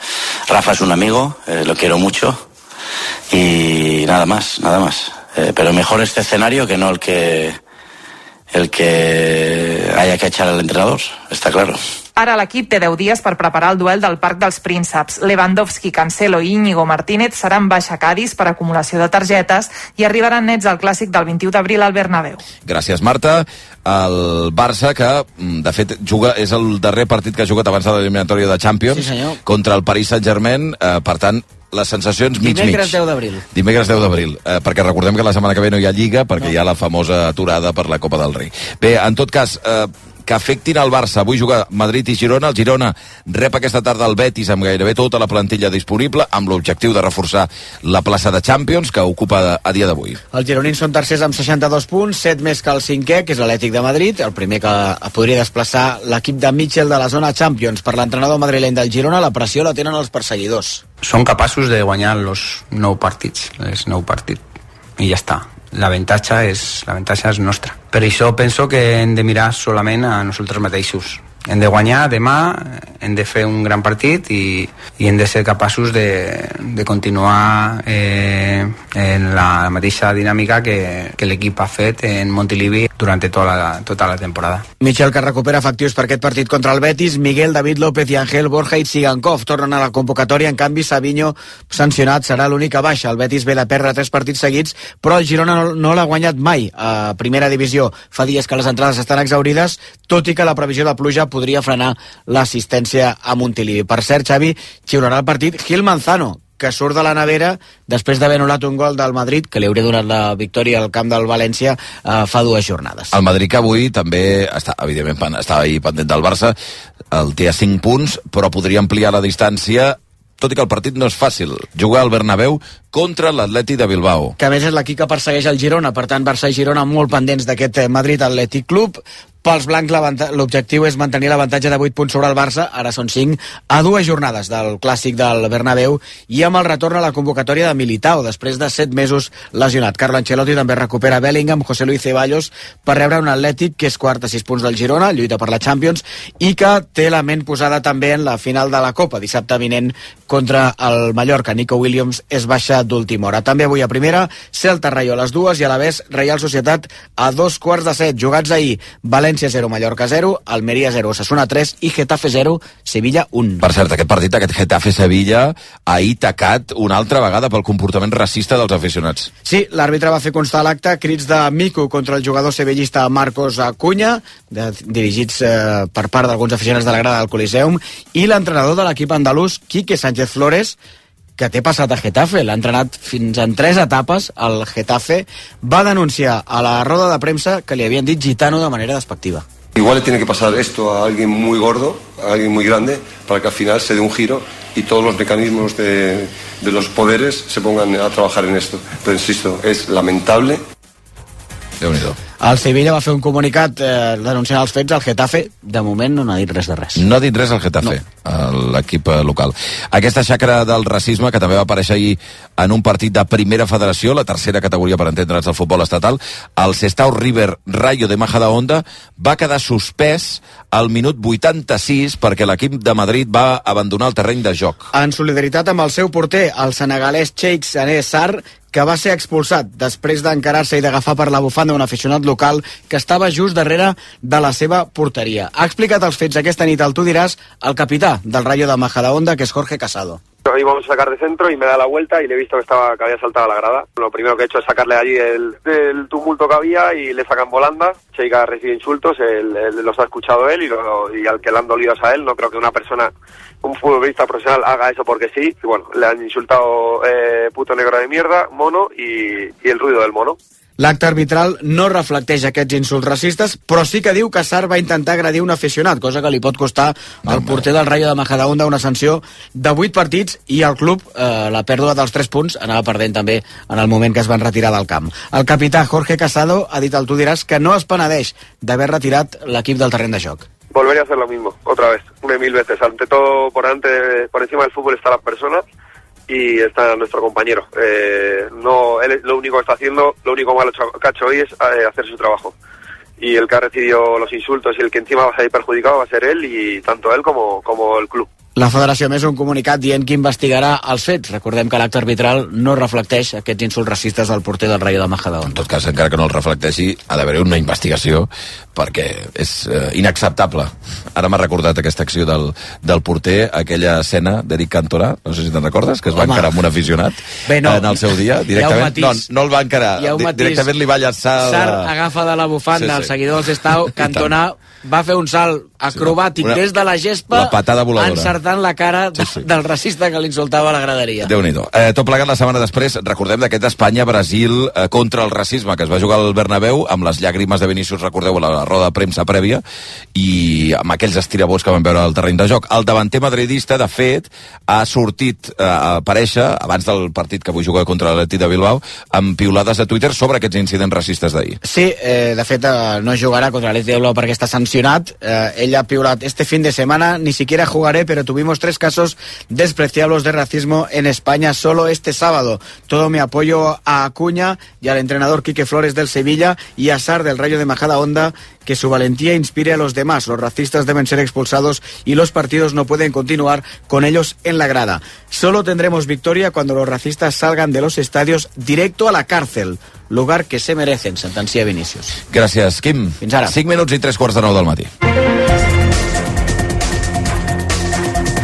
Rafa es un amigo, lo quiero mucho y nada más, nada más. Pero mejor este escenario que no el que haya que echar al entrenador, está claro. Ara l'equip té 10 dies per preparar el duel del Parc dels Prínceps. Lewandowski, Cancelo i Íñigo Martínez seran baixa a Cadis per acumulació de targetes i arribaran nets al clàssic del 21 d'abril al Bernabéu. Gràcies, Marta. El Barça, que de fet és el darrer partit que ha jugat abans de l'eliminatòria de Champions, sí, contra el Paris Saint-Germain, per tant, les sensacions mig-mig. Dimecres 10 d'abril. Dimecres 10 d'abril, perquè recordem que la setmana que ve no hi ha Lliga, perquè hi ha la famosa aturada per la Copa del Rei. Bé, en tot cas, que afectin el Barça. Avui juga Madrid i Girona. El Girona rep aquesta tarda el Betis amb gairebé tota la plantilla disponible, amb l'objectiu de reforçar la plaça de Champions que ocupa a dia d'avui. Els gironins són tercers amb 62 punts, 7 més que el cinquè, que és l'Atlètic de Madrid, el primer que podria desplaçar l'equip de Mitchell de la zona Champions. Per l'entrenador madrileny del Girona, la pressió la tenen els perseguidors. Són capaços de guanyar els 9 partits, i ja està. L'avantatge és nostra. Per això penso que hem de mirar solament a nosaltres mateixos. hem de guanyar demà, hem de fer un gran partit i hem de ser capaços de continuar en la mateixa dinàmica que l'equip ha fet en Montilivi durant tota la temporada. Michel, que recupera efectius per aquest partit contra el Betis, Miguel, David López i Ángel Borja i Tsigankov tornen a la convocatòria. En canvi, Savinho, sancionat, serà l'única baixa. El Betis ve de perdre 3 partits seguits, però el Girona no l'ha guanyat mai a primera divisió. Fa dies que les entrades estan exaurides, tot i que la previsió de pluja podria frenar l'assistència a Montilivi. Per cert, Xavi, xiularà el partit Gil Manzano, que surt de la nevera després d'haver anul·lat un gol del Madrid, que li hauria donat la victòria al camp del València fa 2 jornades. El Madrid, que avui també evidentment estava ahir pendent del Barça, el té a 5 punts, però podria ampliar la distància, tot i que el partit no és fàcil. Jugar al Bernabéu contra l'Atlètic de Bilbao. Que a més és l'equip que persegueix el Girona, per tant Barça i Girona molt pendents d'aquest Madrid Atlètic Club. Pels blancs l'objectiu és mantenir l'avantatge de 8 punts sobre el Barça, ara són 5, a 2 jornades del clàssic del Bernabéu i amb el retorn a la convocatòria de Militao, després de 7 mesos lesionat. Carlo Ancelotti també recupera Bellingham, José Luis Ceballos, per rebre un Atlètic que és quart a 6 punts del Girona, lluita per la Champions, i que té la ment posada també en la final de la Copa, dissabte vinent contra el Mallorca. Nico Williams és baixa d'última hora. També avui a primera, Celta Rayo a les 2 i a la vez Real Societat a 2:15. Jugats ahir, València 0, Mallorca 0, Almeria 0, Osasuna 3 i Getafe 0, Sevilla 1. Per cert, aquest partit, aquest Getafe-Sevilla, ahir tacat una altra vegada pel comportament racista dels aficionats. Sí, l'àrbitre va fer constar l'acte crits de mico contra el jugador sevillista Marcos Acuña, dirigits per part d'alguns aficionats de la grada del Coliseum, i l'entrenador de l'equip andalús, Quique Sánchez Flores, que té passat a Getafe, l'ha entrenat fins en 3 etapes al Getafe, va denunciar a la roda de premsa que li havien dit gitano de manera despectiva. Igual le tiene que pasar esto a alguien muy gordo, a alguien muy grande, para que al final se dé un giro y todos los mecanismos de los poderes se pongan a trabajar en esto. Pero insisto, es lamentable. Déu-n'hi-do. El Sevilla va fer un comunicat denunciant els fets. El Getafe, de moment, no n'ha dit res de res. No ha dit res al Getafe, l'equip local. Aquesta xacra del racisme, que també va aparèixer ahir en un partit de primera federació, la tercera categoria per entendre'ns del futbol estatal, el Sestao River Rayo de Majadahonda va quedar suspès al minut 86 perquè l'equip de Madrid va abandonar el terreny de joc. En solidaritat amb el seu porter, el senegalès Cheikh Sané Sarr, que va ser expulsat després d'encarar-se i d'agafar per la bufanda un aficionat local que estava just darrere de la seva porteria. Ha explicat els fets aquesta nit al Tu Diràs el capità del Rayo de Majadahonda, que és Jorge Casado. Íbamos a sacar de centro y me da la vuelta y le he visto que había saltado a la grada. Lo primero que he hecho es sacarle allí del tumulto que había y le sacan volanda. Cheika recibe insultos, los ha escuchado él y al que le han dolido es a él. No creo que un futbolista profesional haga eso porque sí. Y bueno, le han insultado puto negro de mierda, mono y el ruido del mono. L'acte arbitral no reflecteix aquests insults racistes, però sí que diu que Sarr va intentar agredir un aficionat, cosa que li pot costar al porter del Rayo de Majadahonda una sanció de 8 partits i el club, la pèrdua dels 3 punts, anava perdent també en el moment que es van retirar del camp. El capità Jorge Casado ha dit al Tu Diràs que no es penedeix d'haver retirat l'equip del terreny de joc. Volvería a hacer lo mismo, otra vez, 1000 veces. Ante todo, por encima del fútbol está la persona y está nuestro compañero. Él lo único que está haciendo, lo único malo que ha hecho hoy es hacer su trabajo. Y el que ha recibido los insultos y el que encima va a salir perjudicado va a ser él y tanto él como el club. La federació més un comunicat dient que investigarà els fets. Recordem que l'acte arbitral no reflecteix aquests insults racistes del porter del Rayo de Majadahonda. En tot cas, encara que no el reflecteixi, ha d'haver una investigació perquè és inacceptable. Ara m'ha recordat aquesta acció del porter, aquella escena d'Eric Cantona, no sé si te'n recordes, que es va encarar amb un aficionat en el seu dia, directament. No el va encarar, directament li va llançar... Sarr agafa de la bufanda el seguidor del Sestao, Cantona va fer un salt acrobàtic des de la gespa, la patada voladora, encertant la cara del racista que l'insultava a la graderia. Déu-n'hi-do. Tot plegat la setmana després, recordem d'aquest Espanya-Brasil contra el racisme, que es va jugar al Bernabéu amb les llàgrimes de Vinícius, recordeu, a la roda de premsa prèvia, i amb aquells estirabots que van veure al terreny de joc. El davanter madridista, de fet, ha sortit a aparèixer, abans del partit que avui juga contra l'Atlètic de Bilbao, amb piulades a Twitter sobre aquests incidents racistes d'ahir. Sí, de fet, no jugarà contra l'Atlètic de Bilbao perquè està sancionat. Ell Ella ha piulado: este fin de semana ni siquiera jugaré, pero tuvimos 3 casos despreciables de racismo en España solo este sábado. Todo mi apoyo a Acuña y al entrenador Quique Flores del Sevilla y a Sarr del Rayo de Majadahonda, que su valentía inspire a los demás. Los racistas deben ser expulsados y los partidos no pueden continuar con ellos en la grada. Solo tendremos victoria cuando los racistas salgan de los estadios directo a la cárcel, lugar que se merecen, sentencia Vinícius. Gràcies, Quim. Fins ara. 5 minuts i 3:45 del matí.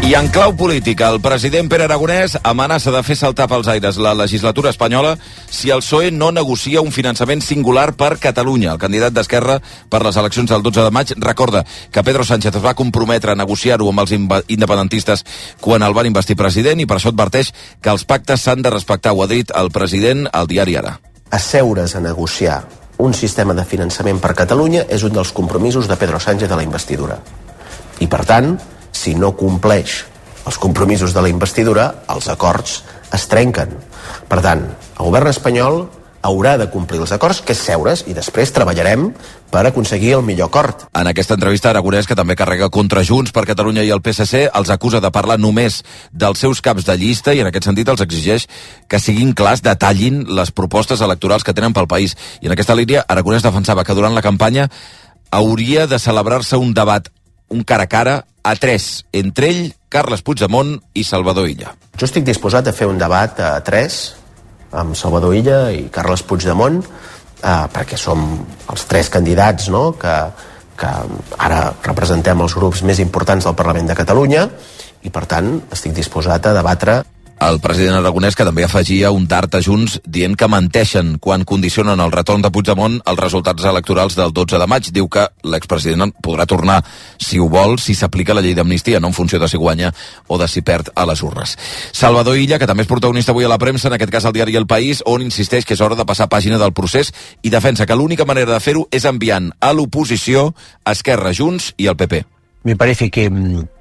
I en clau política, el president Pere Aragonès amenaça de fer saltar pels aires la legislatura espanyola si el PSOE no negocia un finançament singular per Catalunya. El candidat d'Esquerra per les eleccions del 12 de maig recorda que Pedro Sánchez es va comprometre a negociar-ho amb els independentistes quan el van investir president i per això adverteix que els pactes s'han de respectar. Ho ha dit el president al diari Ara. Asseure's a negociar un sistema de finançament per Catalunya és un dels compromisos de Pedro Sánchez a la investidura. I, per tant, si no compleix els compromisos de la investidura, els acords es trenquen. Per tant, el govern espanyol haurà de complir els acords, que és seure's, i després treballarem per aconseguir el millor acord. En aquesta entrevista, Aragonès, que també carrega contra Junts per Catalunya i el PSC, els acusa de parlar només dels seus caps de llista i en aquest sentit els exigeix que siguin clars, detallin les propostes electorals que tenen pel país. I en aquesta línia, Aragonès defensava que durant la campanya hauria de celebrar-se un debat, un cara a cara, a 3, entre ell, Carles Puigdemont i Salvador Illa. Jo estic disposat a fer un debat a 3 amb Salvador Illa i Carles Puigdemont, perquè som els 3 candidats, no?, que ara representem els grups més importants del Parlament de Catalunya i, per tant, estic disposat a debatre. El president Aragonès, que també afegia un dart a Junts dient que menteixen quan condicionen el retorn de Puigdemont als resultats electorals del 12 de maig. Diu que l'expresident podrà tornar, si ho vol, si s'aplica la llei d'amnistia, no en funció de si guanya o de si perd a les urnes. Salvador Illa, que també és protagonista avui a la premsa, en aquest cas al diari El País, on insisteix que és hora de passar pàgina del procés i defensa que l'única manera de fer-ho és enviant a l'oposició Esquerra, Junts i el PP. Me parece que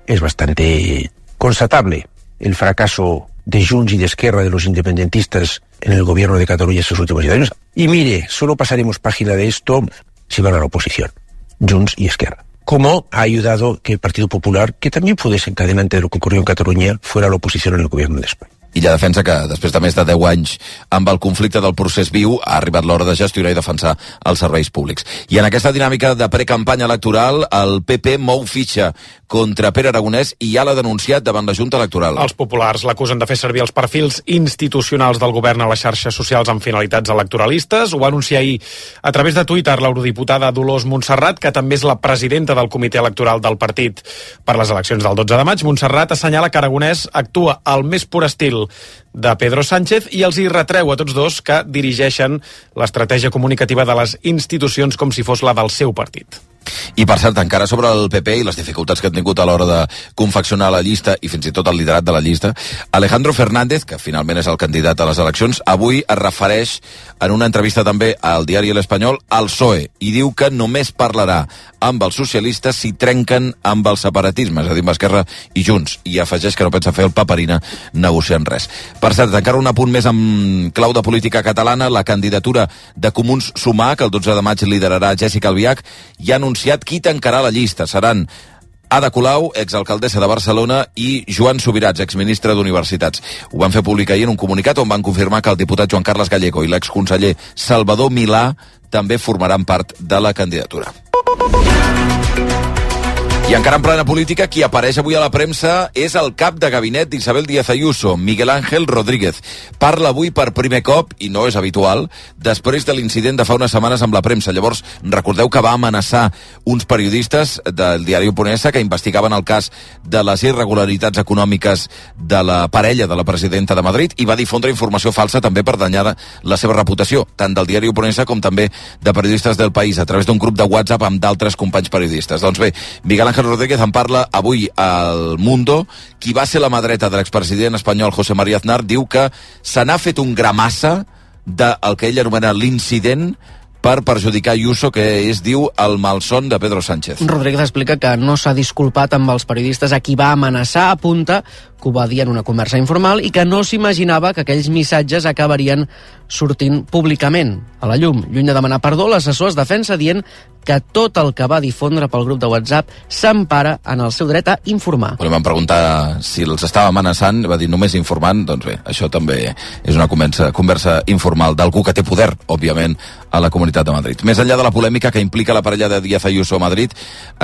es bastante constatable el fracaso de Junts y de Esquerra, de los independentistas en el gobierno de Cataluña estos últimos años. Y mire, solo pasaremos página de esto si van a la oposición, Junts y Esquerra. Como ha ayudado que el Partido Popular, que también fue desencadenante de lo que ocurrió en Cataluña, fuera a la oposición en el gobierno de España. Illa defensa que després de més de 10 anys amb el conflicte del procés viu ha arribat l'hora de gestionar i defensar els serveis públics. I en aquesta dinàmica de precampanya electoral, el PP mou fitxa contra Pere Aragonès i ja l'ha denunciat davant la Junta Electoral. Els populars l'acusen de fer servir els perfils institucionals del govern a les xarxes socials amb finalitats electoralistes. Ho va anunciar ahir a través de Twitter l'eurodiputada Dolors Montserrat, que també és la presidenta del comitè electoral del partit per les eleccions del 12 de maig. Montserrat assenyala que Aragonès actua al més pur estil de Pedro Sánchez i els hi retreu a tots dos que dirigeixen l'estratègia comunicativa de les institucions com si fos la del seu partit. I per cert, encara sobre el PP i les dificultats que han tingut a l'hora de confeccionar la llista i fins i tot el liderat de la llista, Alejandro Fernández, que finalment és el candidat a les eleccions, avui es refereix en una entrevista també al diari El Espanyol al PSOE i diu que només parlarà amb els socialistes si trenquen amb el separatisme, és a dir, amb Esquerra i Junts, i afegeix que no pensa fer el paperina negociant res. Per cert, encara un apunt més en clau de política catalana, la candidatura de Comuns Sumar, que el 12 de maig liderarà Jessica Albiach, i ha anunciat qui tancarà la llista. Seran Ada Colau, exalcaldessa de Barcelona, i Joan Subirats, exministre d'Universitats. Ho van fer públic ahir en un comunicat on van confirmar que el diputat Joan Carles Gallego i l'exconseller Salvador Milà també formaran part de la candidatura. I encara en plena política, qui apareix avui a la premsa és el cap de gabinet d'Isabel Díaz Ayuso, Miguel Ángel Rodríguez. Parla avui per primer cop, i no és habitual, després de l'incident de fa unes setmanes amb la premsa. Llavors, recordeu que va amenaçar uns periodistes del diari Oponesa que investigaven el cas de les irregularitats econòmiques de la parella de la presidenta de Madrid i va difondre informació falsa també per danyar la seva reputació, tant del diari Oponesa com també de periodistes del País, a través d'un grup de WhatsApp amb d'altres companys periodistes. Doncs bé, Miguel Ángel Rodríguez en parla avui al Mundo. Qui va ser la mà dreta de l'expresident espanyol José María Aznar diu que se n'ha fet un gramassa del que ell anomena l'incident per perjudicar Ayuso, que és, diu, el malson de Pedro Sánchez. Rodríguez explica que no s'ha disculpat amb els periodistes a qui va amenaçar, apunta que ho va dir en una conversa informal i que no s'imaginava que aquells missatges acabarien sortint públicament a la llum. Lluny de demanar perdó, l'assessor es defensa dient que tot el que va difondre pel grup de WhatsApp s'empara en el seu dret a informar. Li van preguntar si els estava amenaçant, va dir només informant, doncs bé, això també és una conversa informal d'algú que té poder, òbviament, a la Comunitat de Madrid. Més enllà de la polèmica que implica la parella de Díaz Ayuso a Madrid,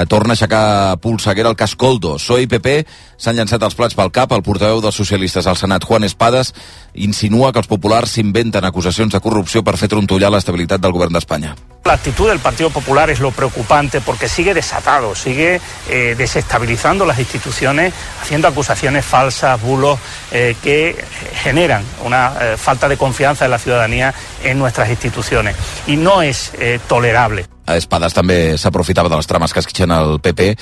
torna a aixecar polseguera el cas Koldo. PSOE i PP s'han llançat els plats pel cap. El portaveu dels socialistes al Senat, Juan Espadas, insinua que els populars s'inventen acusacions de corrupció per fer trontollar l'estabilitat del govern d'Espanya. La actitud del Partido Popular es lo preocupante porque sigue desatado, sigue desestabilizando las instituciones, haciendo acusaciones falsas, bulos que generan una falta de confianza de la ciudadanía en nuestras instituciones y no es tolerable. Espadas també s'aprofitava de les trames que esquitxen el PP,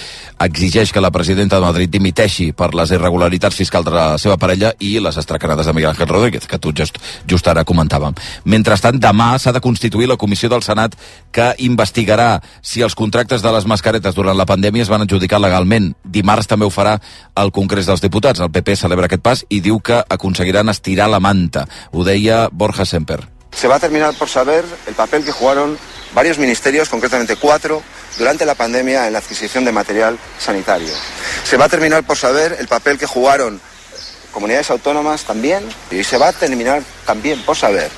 exigeix que la presidenta de Madrid dimiteixi per les irregularitats fiscals de la seva parella i les estracanades de Miguel Ángel Rodríguez, que tot just ara comentàvem. Mentrestant, demà s'ha de constituir la comissió del Senat que investigarà si els contractes de les mascaretes durant la pandèmia es van adjudicar legalment. Dimarts també ho farà el Congrés dels Diputats. El PP celebra aquest pas i diu que aconseguiran estirar la manta. Ho deia Borja Semper. Se va a terminar por saber el papel que jugaron varios ministerios, concretamente 4, durante la pandemia en la adquisición de material sanitario. Se va a terminar por saber el papel que jugaron comunidades autónomas también, y se va a terminar también por saber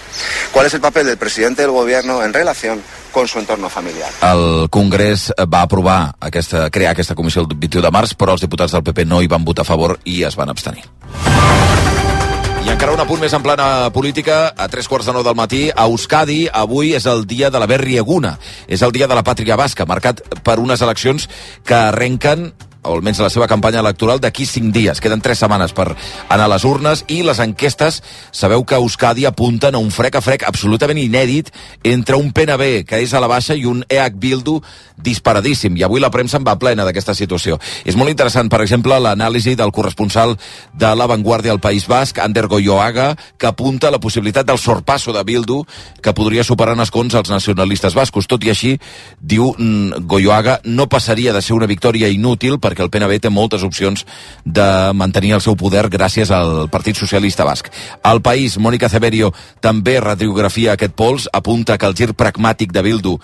cuál es el papel del presidente del gobierno en relación con su entorno familiar. El Congrés va aprovar crear aquesta comissió el 21 de març, però els diputats del PP no hi van votar a favor i es van abstenir. I encara un apunt més en plana política, a 3:45 del matí, a Euskadi, avui és el dia de la Berri Eguna, és el dia de la pàtria basca, marcat per unes eleccions que arrenquen, o almenys la seva campanya electoral, d'aquí 5 dies. Queden 3 setmanes per anar a les urnes i les enquestes, sabeu que a Euskadi apunten a un frec a frec absolutament inèdit entre un PNB, que és a la baixa, i un EH Bildu disparadíssim. I avui la premsa en va plena d'aquesta situació. És molt interessant, per exemple, l'anàlisi del corresponsal de La Vanguardia al País Basc, Ander Goyoaga, que apunta a la possibilitat del sorpasso de Bildu, que podria superar en escons els nacionalistes bascos. Tot i així, diu Goyoaga, no passaria de ser una victòria inútil perquè el PNB té moltes opcions de mantenir el seu poder gràcies al Partit Socialista Basc. Al País, Mònica Ceberio també radiografia aquest pols, apunta que el gir pragmàtic de Bildu,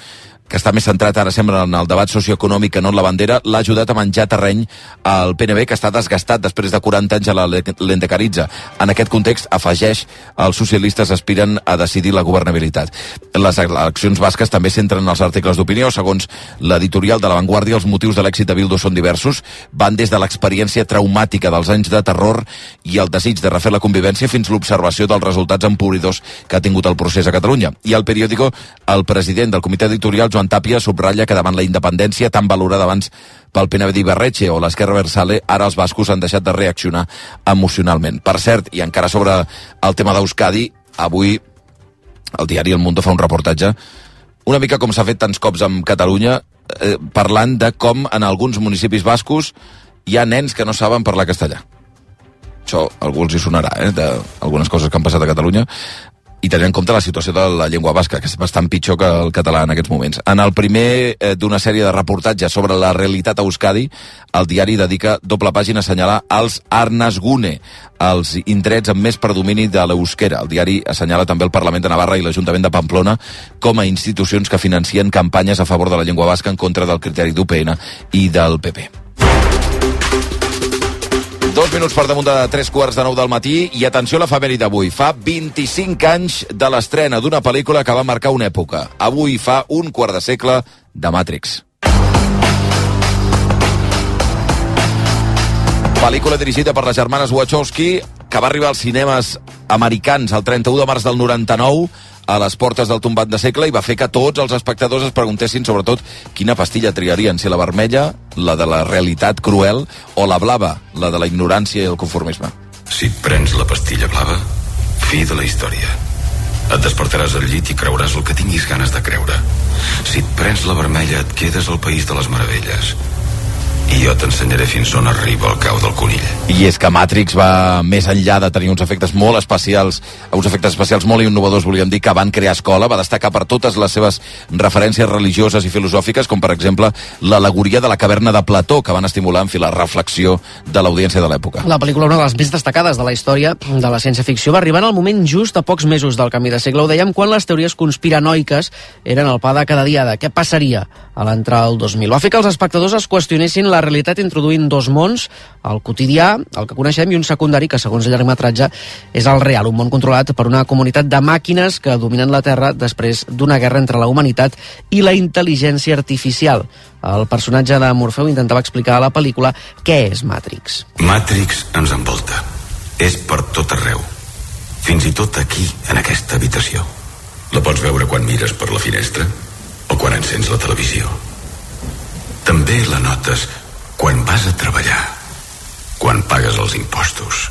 que està més centrat ara sembla en el debat socioeconòmic que no en la bandera, l'ha ajudat a menjar terreny al PNB, que està desgastat després de 40 anys a la Lendecaritza. En aquest context, afegeix, els socialistes aspiren a decidir la governabilitat. Les eleccions basques també centren els articles d'opinió. Segons l'editorial de La Vanguardia, els motius de l'èxit de Bildu són diversos. Van des de l'experiència traumàtica dels anys de terror i el desig de refer la convivència fins l'observació dels resultats empobridors que ha tingut el procés a Catalunya. I al periòdico, el president del comitè editorial, Joan Tàpia, subratlla que davant la independència tan valorada abans pel PNB d'Ibarretxe o l'Esquerra Abertzale, ara els bascos han deixat de reaccionar emocionalment. Per cert, i encara sobre el tema d'Euskadi, avui el diari El Mundo fa un reportatge una mica com s'ha fet tants cops amb Catalunya, parlant de com en alguns municipis bascos hi ha nens que no saben parlar castellà. Això a algú els hi sonarà, d'algunes coses que han passat a Catalunya, i tenint en compte la situació de la llengua basca, que és bastant pitjor que el català en aquests moments. En el primer d'una sèrie de reportatges sobre la realitat a Euskadi, el diari dedica doble pàgina a assenyalar els Arnasgune, els indrets amb més predomini de l'euskera. El diari assenyala també el Parlament de Navarra i l'Ajuntament de Pamplona com a institucions que financien campanyes a favor de la llengua basca en contra del criteri d'UPN i del PP. 2 minuts per damunt de 3:45 del matí i atenció a l'efemèride d'avui. Fa 25 anys de l'estrena d'una pel·lícula que va marcar una època. Avui fa un quart de segle de Matrix. Pel·lícula dirigida per les germanes Wachowski que va arribar als cinemes americans el 31 de març del 99 a les portes del tombat de segle i va fer que tots els espectadors es preguntessin sobretot quina pastilla triarien, si la vermella, la de la realitat cruel, o la blava, la de la ignorància i el conformisme. Si et prens la pastilla blava, fi de la història. Et despertaràs al llit i creuràs el que tinguis ganes de creure. Si et prens la vermella, et quedes al país de les meravelles. I jo t'ensenyaré fins on arriba el cau del conill. I és que Matrix va més enllà de tenir uns efectes molt especials, molt innovadors, volíem dir, que van crear escola, va destacar per totes les seves referències religioses i filosòfiques, com per exemple l'al·legoria de la caverna de Plató, que van estimular, en fi, la reflexió de l'audiència de l'època. La pel·lícula, una de les més destacades de la història de la ciència-ficció, va arribar en el moment just a pocs mesos del canvi de segle. Ho dèiem quan les teories conspiranoiques eren el pa de cada dia de què passaria a l'entrar al 2000. Va fer que els espectadors es qüestionessin la realitat introduint dos mons, el quotidià, el que coneixem, i un secundari que, segons el llargmetratge, és el real, un món controlat per una comunitat de màquines que dominen la Terra després d'una guerra entre la humanitat i la intel·ligència artificial. El personatge de Morfeu intentava explicar a la pel·lícula què és Matrix. Matrix ens envolta. És per tot arreu. Fins i tot aquí, en aquesta habitació. La pots veure quan mires per la finestra o quan encens la televisió. També la notes quan vas a treballar, quan pagues els impostos.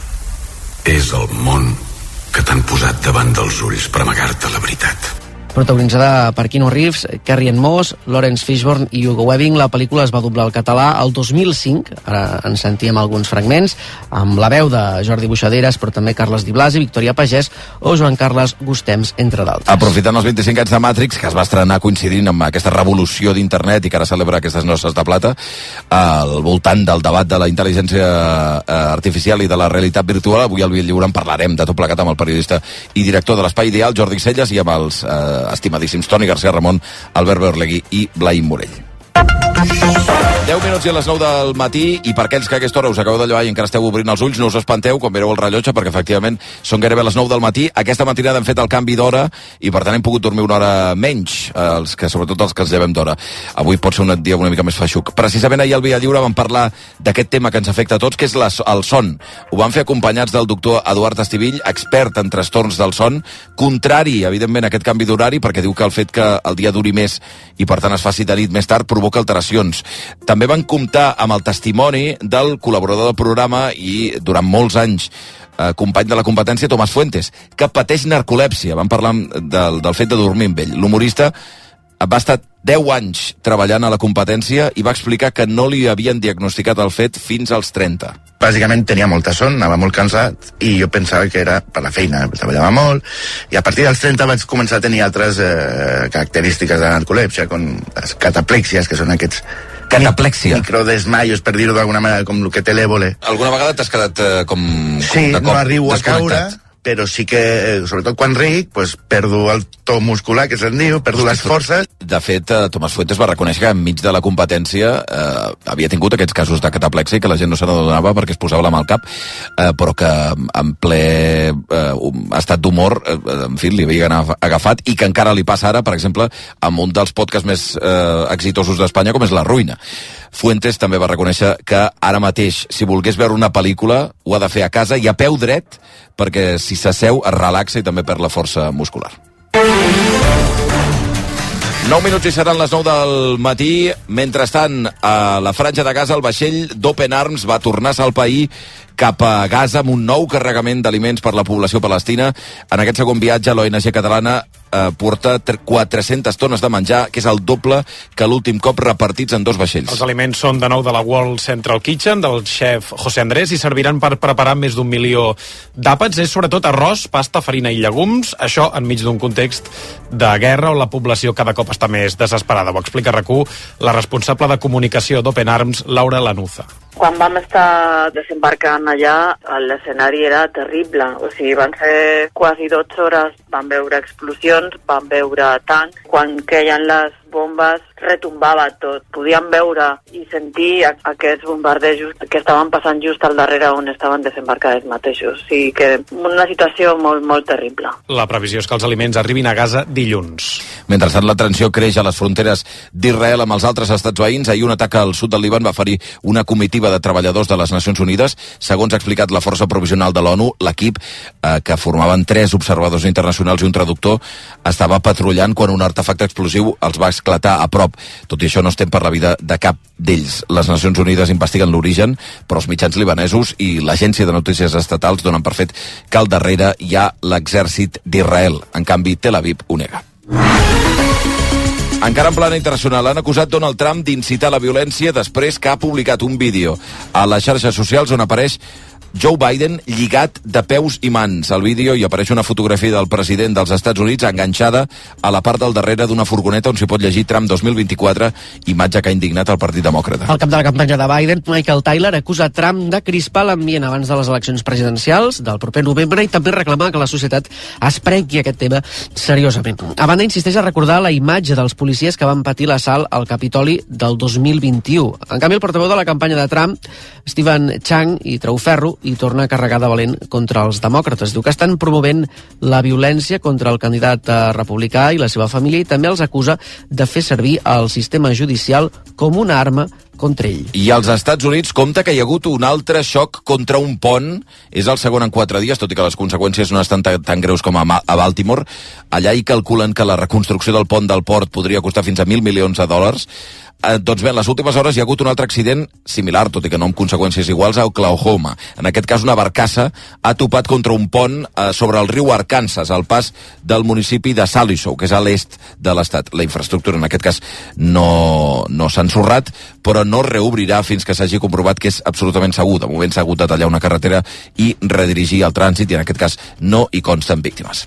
És el món que t'han posat davant dels ulls per amagar-te la veritat. Protagonitzada per Keanu Reeves, Carrie-Anne Moss, Lawrence Fishburne i Hugo Weaving, la pel·lícula es va doblar al català el 2005, ara en sentíem alguns fragments, amb la veu de Jordi Buixaderes, però també Carles Di Blasi, Victòria Pagès o Joan Carles Gustems, entre d'altres. Aprofitant els 25 anys de Matrix, que es va estrenar coincidint amb aquesta revolució d'internet i que ara celebra aquestes noces de plata, al voltant del debat de la intel·ligència artificial i de la realitat virtual, avui al Via Lliure en parlarem de tot plegat amb el periodista i director de l'Espai Ideal, Jordi Celles, i amb els estimadíssims Toni García Ramon, Albert Berlegui i Blai Morell. 10 minuts i a les 9 del matí, i per aquells que a aquesta hora us acabeu de llevar i encara esteu obrint els ulls, no us espanteu quan mireu el rellotge, perquè efectivament són gairebé les 9 del matí. Aquesta matinada hem fet el canvi d'hora i per tant hem pogut dormir una hora menys, sobretot els que ens llevem d'hora. Avui pot ser un dia una mica més feixuc. Precisament ahir al Via Lliure vam parlar d'aquest tema que ens afecta a tots, que és el son. Ho vam fer acompanyats del doctor Eduard Estivill, expert en trastorns del son, contrari, evidentment, a aquest canvi d'horari, perquè diu que el fet que el dia duri més i per tant es faci de nit més tard provoca alteracions. També van comptar amb el testimoni del col·laborador del programa i durant molts anys company de la competència, Tomàs Fuentes, que pateix narcolèpsia. Vam parlar del fet de dormir amb ell. L'humorista va estar 10 anys treballant a la competència i va explicar que no li havien diagnosticat el fet fins als 30. Bàsicament tenia molta son, anava molt cansat i jo pensava que era per la feina, treballava molt, i a partir dels 30 vaig començar a tenir altres característiques de narcolèpsia, com les cataplèxies, que són aquests microdesmaios, per dir-ho d'alguna manera, com el que té l'Évole. Alguna vegada t'has quedat Sí, no arribo a caure, però sí que, sobretot quan ric, perdo el to muscular, que se'n diu, perdo les forces. De fet, Tomàs Fuentes va reconèixer que enmig de la competència havia tingut aquests casos de cataplèxia que la gent no se n'adonava perquè es posava la mà al cap, però que en ple estat d'humor, en fi, li havia agafat, i que encara li passa ara, per exemple, amb un dels podcasts més exitosos d'Espanya, com és La Ruïna. Fuentes també va reconèixer que ara mateix, si volgués veure una pel·lícula, ho ha de fer a casa i a peu dret, perquè si s'asseu es relaxa i també perd la força muscular. 9 minuts i seran les 9 del matí. Mentrestant, a la Franja de Gaza, el vaixell d'Open Arms va tornar-se al país cap a Gaza amb un nou carregament d'aliments per la població palestina. En aquest segon viatge, l'ONG catalana porta 400 tones de menjar, que és el doble que l'últim cop repartits en 2 vaixells. Els aliments són de nou de la World Central Kitchen, del xef José Andrés, i serviran per preparar més d'1 milió d'àpats. És sobretot arròs, pasta, farina i llegums, això enmig d'un context de guerra on la població cada cop està més desesperada. Ho explica a RAC1 la responsable de comunicació d'Open Arms, Laura Lanuza. Quan vam estar desembarcant allà, l'escenari era terrible. O sigui, van ser quasi 12 hores, van veure explosions, van veure tancs. Quan queien les bombes, retombava tot. Podíem veure i sentir aquests bombardejos que estaven passant just al darrere on estaven desembarcats mateixos. O sigui que una situació molt, molt terrible. La previsió és que els aliments arribin a Gaza dilluns. Mentrestant, la tensió creix a les fronteres d'Israel amb els altres estats veïns. Ahir un atac al sud del Líban va ferir una comitiva de treballadors de les Nacions Unides. Segons ha explicat la força provisional de l'ONU, l'equip, que formaven 3 observadors internacionals i un traductor, estava patrullant quan un artefacte explosiu els va esclatar a prop. Tot i això, no estem per la vida de cap d'ells. Les Nacions Unides investiguen l'origen, però els mitjans libanesos i l'agència de notícies estatals donen per fet que al darrere hi ha l'exèrcit d'Israel. En canvi, Tel Aviv ho nega. Encara en plana internacional, han acusat Donald Trump d'incitar la violència després que ha publicat un vídeo a les xarxes socials on apareix Joe Biden lligat de peus i mans. Al vídeo hi apareix una fotografia del president dels Estats Units enganxada a la part del darrere d'una furgoneta on s'hi pot llegir Trump 2024, imatge que ha indignat el Partit Demòcrata. El cap de la campanya de Biden, Michael Tyler, acusa Trump de crispar l'ambient abans de les eleccions presidencials del proper novembre i també reclamar que la societat es prengui aquest tema seriosament. A banda, insisteix a recordar la imatge dels policies que van patir l'assalt al Capitoli del 2021. En canvi, el portaveu de la campanya de Trump, Stephen Chang, hi treu ferro i torna a carregar de valent contra els demòcrates. Diu que estan promovent la violència contra el candidat republicà i la seva família i també els acusa de fer servir el sistema judicial com una arma contra ell. I als Estats Units compta que hi ha hagut un altre xoc contra un pont. És el segon en 4 dies, tot i que les conseqüències no estan tan greus com a Baltimore. Allà hi calculen que la reconstrucció del pont del port podria costar fins a $1.000 milions. Doncs bé, en les últimes hores hi ha hagut un altre accident similar, tot i que no amb conseqüències iguals, a Oklahoma. En aquest cas, una barcassa ha topat contra un pont sobre el riu Arkansas, al pas del municipi de Salisaw, que és a l'est de l'estat. La infraestructura, en aquest cas, no s'ha ensorrat, però no reobrirà fins que s'hagi comprovat que és absolutament segur. De moment s'ha hagut de tallar una carretera i redirigir el trànsit, i en aquest cas no hi consten víctimes.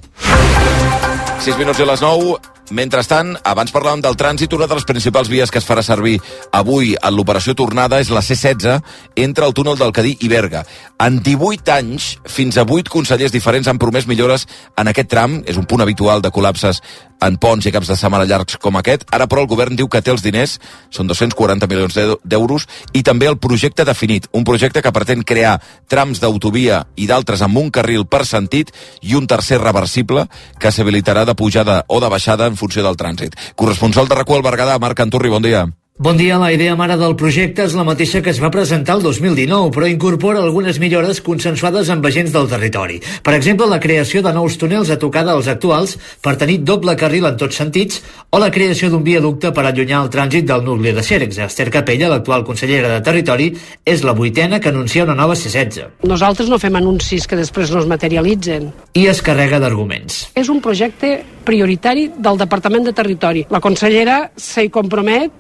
6 minuts i a les 9. Mentrestant, abans parlàvem del trànsit, una de les principals vies que es farà servir avui en l'operació tornada és la C16 entre el túnel del Cadí i Berga. En 18 anys, fins a 8 consellers diferents han promès millores en aquest tram. És un punt habitual de col·lapses en ponts i caps de setmana llargs com aquest. Ara, però, el govern diu que té els diners, són 240 milions d'euros, i també el projecte definit, un projecte que pretén crear trams d'autovia i d'altres amb un carril per sentit i un tercer reversible que s'habilitarà de pujada o de baixada en funció del trànsit. Corresponsal de RAC1 al Berguedà, Marc Anturri, bon dia. Bon dia. La idea mare del projecte és la mateixa que es va presentar el 2019, però incorpora algunes millores consensuades amb agents del territori. Per exemple, la creació de nous túnels a tocar dels actuals per tenir doble carril en tots sentits, o la creació d'un viaducte per allunyar el trànsit del nucli de Xèrix. Esther Capella, l'actual consellera de Territori, és la 8a que anuncia una nova C16. Nosaltres no fem anuncis que després no es materialitzen. I es carrega d'arguments. És un projecte prioritari del Departament de Territori. La consellera s'hi compromet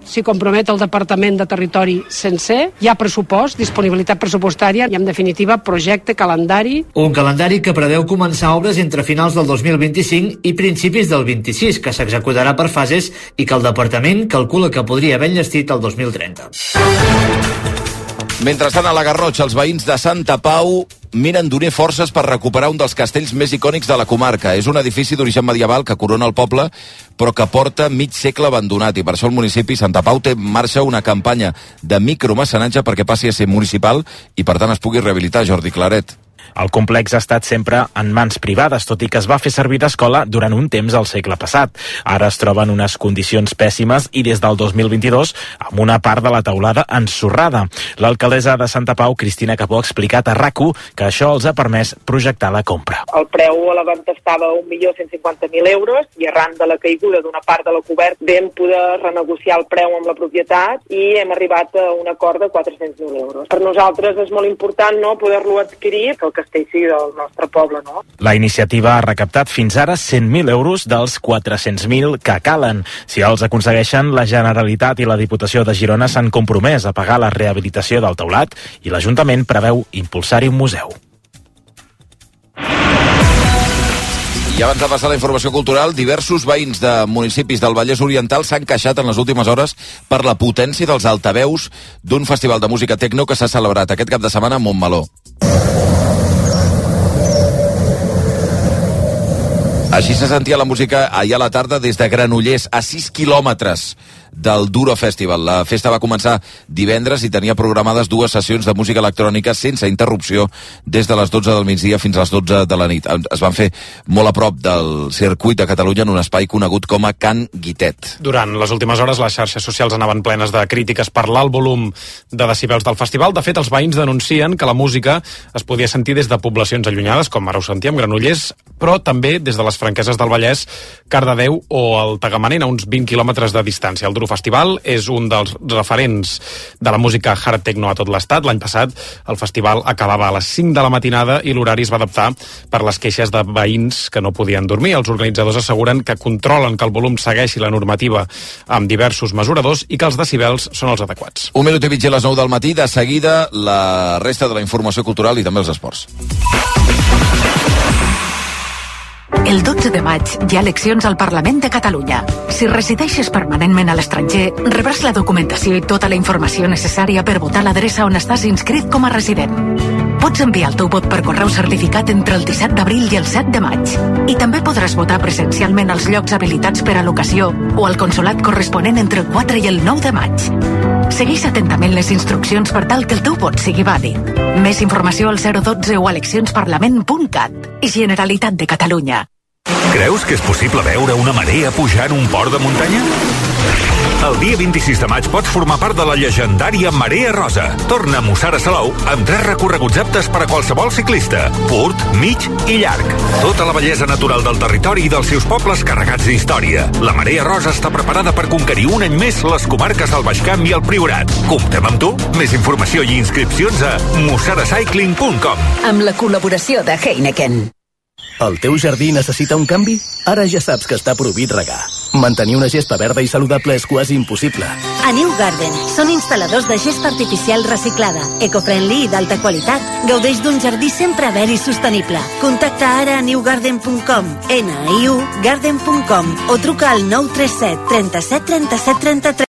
el Departament de Territori sencer, hi ha pressupost, disponibilitat pressupostària i, en definitiva, projecte, calendari. Un calendari que preveu començar obres entre finals del 2025 i principis del 26, que s'executarà per fases i que el Departament calcula que podria haver enllestit el 2030. Mentrestant, a la Garrotxa, els veïns de Santa Pau miren d'unir forces per recuperar un dels castells més icònics de la comarca. És un edifici d'origen medieval que corona el poble, però que porta mig segle abandonat, i per això el municipi Santa Pau té en marxa una campanya de micromecenatge perquè passi a ser municipal i, per tant, es pugui rehabilitar. Jordi Claret. El complex ha estat sempre en mans privades, tot i que es va fer servir d'escola durant un temps al segle passat. Ara es troba en unes condicions pèssimes i des del 2022 amb una part de la teulada ensorrada. L'alcaldessa de Santa Pau, Cristina Capó, ha explicat a RAC1 que això els ha permès projectar la compra. El preu a la venda estava a 1.150.000 euros i arran de la caiguda d'una part de la coberta vam poder renegociar el preu amb la propietat i hem arribat a un acord de 400.000 euros. Per nosaltres és molt important poder-lo adquirir, que el Castellcí del nostre poble, no? La iniciativa ha recaptat fins ara 100.000 euros dels 400.000 que calen. Si els aconsegueixen, la Generalitat i la Diputació de Girona s'han compromès a pagar la rehabilitació del teulat i l'Ajuntament preveu impulsar-hi un museu. I abans de passar a la informació cultural, diversos veïns de municipis del Vallès Oriental s'han queixat en les últimes hores per la potència dels altaveus d'un festival de música tecno que s'ha celebrat aquest cap de setmana a Montmeló. Així se sentia la música ahir a la tarda des de Granollers, a 6 quilòmetres del Duro Festival. La festa va començar divendres i tenia programades 2 sessions de música electrònica sense interrupció des de les 12 del migdia fins a les 12 de la nit. Es van fer molt a prop del circuit de Catalunya en un espai conegut com a Can Guitet. Durant les últimes hores les xarxes socials anaven plenes de crítiques per l'alt volum de decibels del festival. De fet, els veïns denuncien que la música es podia sentir des de poblacions allunyades, com ara ho sentíem, Granollers, però també des de les Franqueses del Vallès, Cardedeu o el Tagamanent, a uns 20 quilòmetres de distància. El Duro Festival és un dels referents de la música hard techno a tot l'estat. L'any passat el festival acabava a les 5 de la matinada i l'horari es va adaptar per les queixes de veïns que no podien dormir. Els organitzadors asseguren que controlen que el volum segueixi la normativa amb diversos mesuradors i que els decibels són els adequats. 1 minut i mig a les 9 del matí, de seguida la resta de la informació cultural i també els esports. El 12 de maig hi ha eleccions al Parlament de Catalunya. Si resideixes permanentment a l'estranger, rebràs la documentació i tota la informació necessària per votar a l'adreça on estàs inscrit com a resident. Pots enviar el teu vot per correu certificat entre el 17 d'abril i el 7 de maig. I també podràs votar presencialment als llocs habilitats per a l'ocasió o al consolat corresponent entre el 4 i el 9 de maig. Segueix atentament les instruccions per tal que el teu vot sigui vàlid. Més informació al 012 o a eleccionsparlament.cat. Generalitat de Catalunya. Creus que és possible veure una marea pujar en un port de muntanya? El dia 26 de maig pots formar part de la llegendària Marea Rosa. Torna a Mussara Salou amb 3 recorreguts aptes per a qualsevol ciclista, curt, mig i llarg. Tota la bellesa natural del territori i dels seus pobles carregats d'història. La Marea Rosa està preparada per conquerir un any més les comarques del Baix Camp i el Priorat. Comptem amb tu? Més informació i inscripcions a mussaracycling.com. Amb la col·laboració de Heineken. El teu jardí necessita un canvi? Ara ja saps que està prohibit regar. Mantenir una gespa verda i saludable és quasi impossible. A New Garden són instal·ladors de gespa artificial reciclada, ecofriendly i d'alta qualitat. Gaudeix d'un jardí sempre verd i sostenible. Contacta ara a newgarden.com, niugarden.com o truca al 937 37 37 33.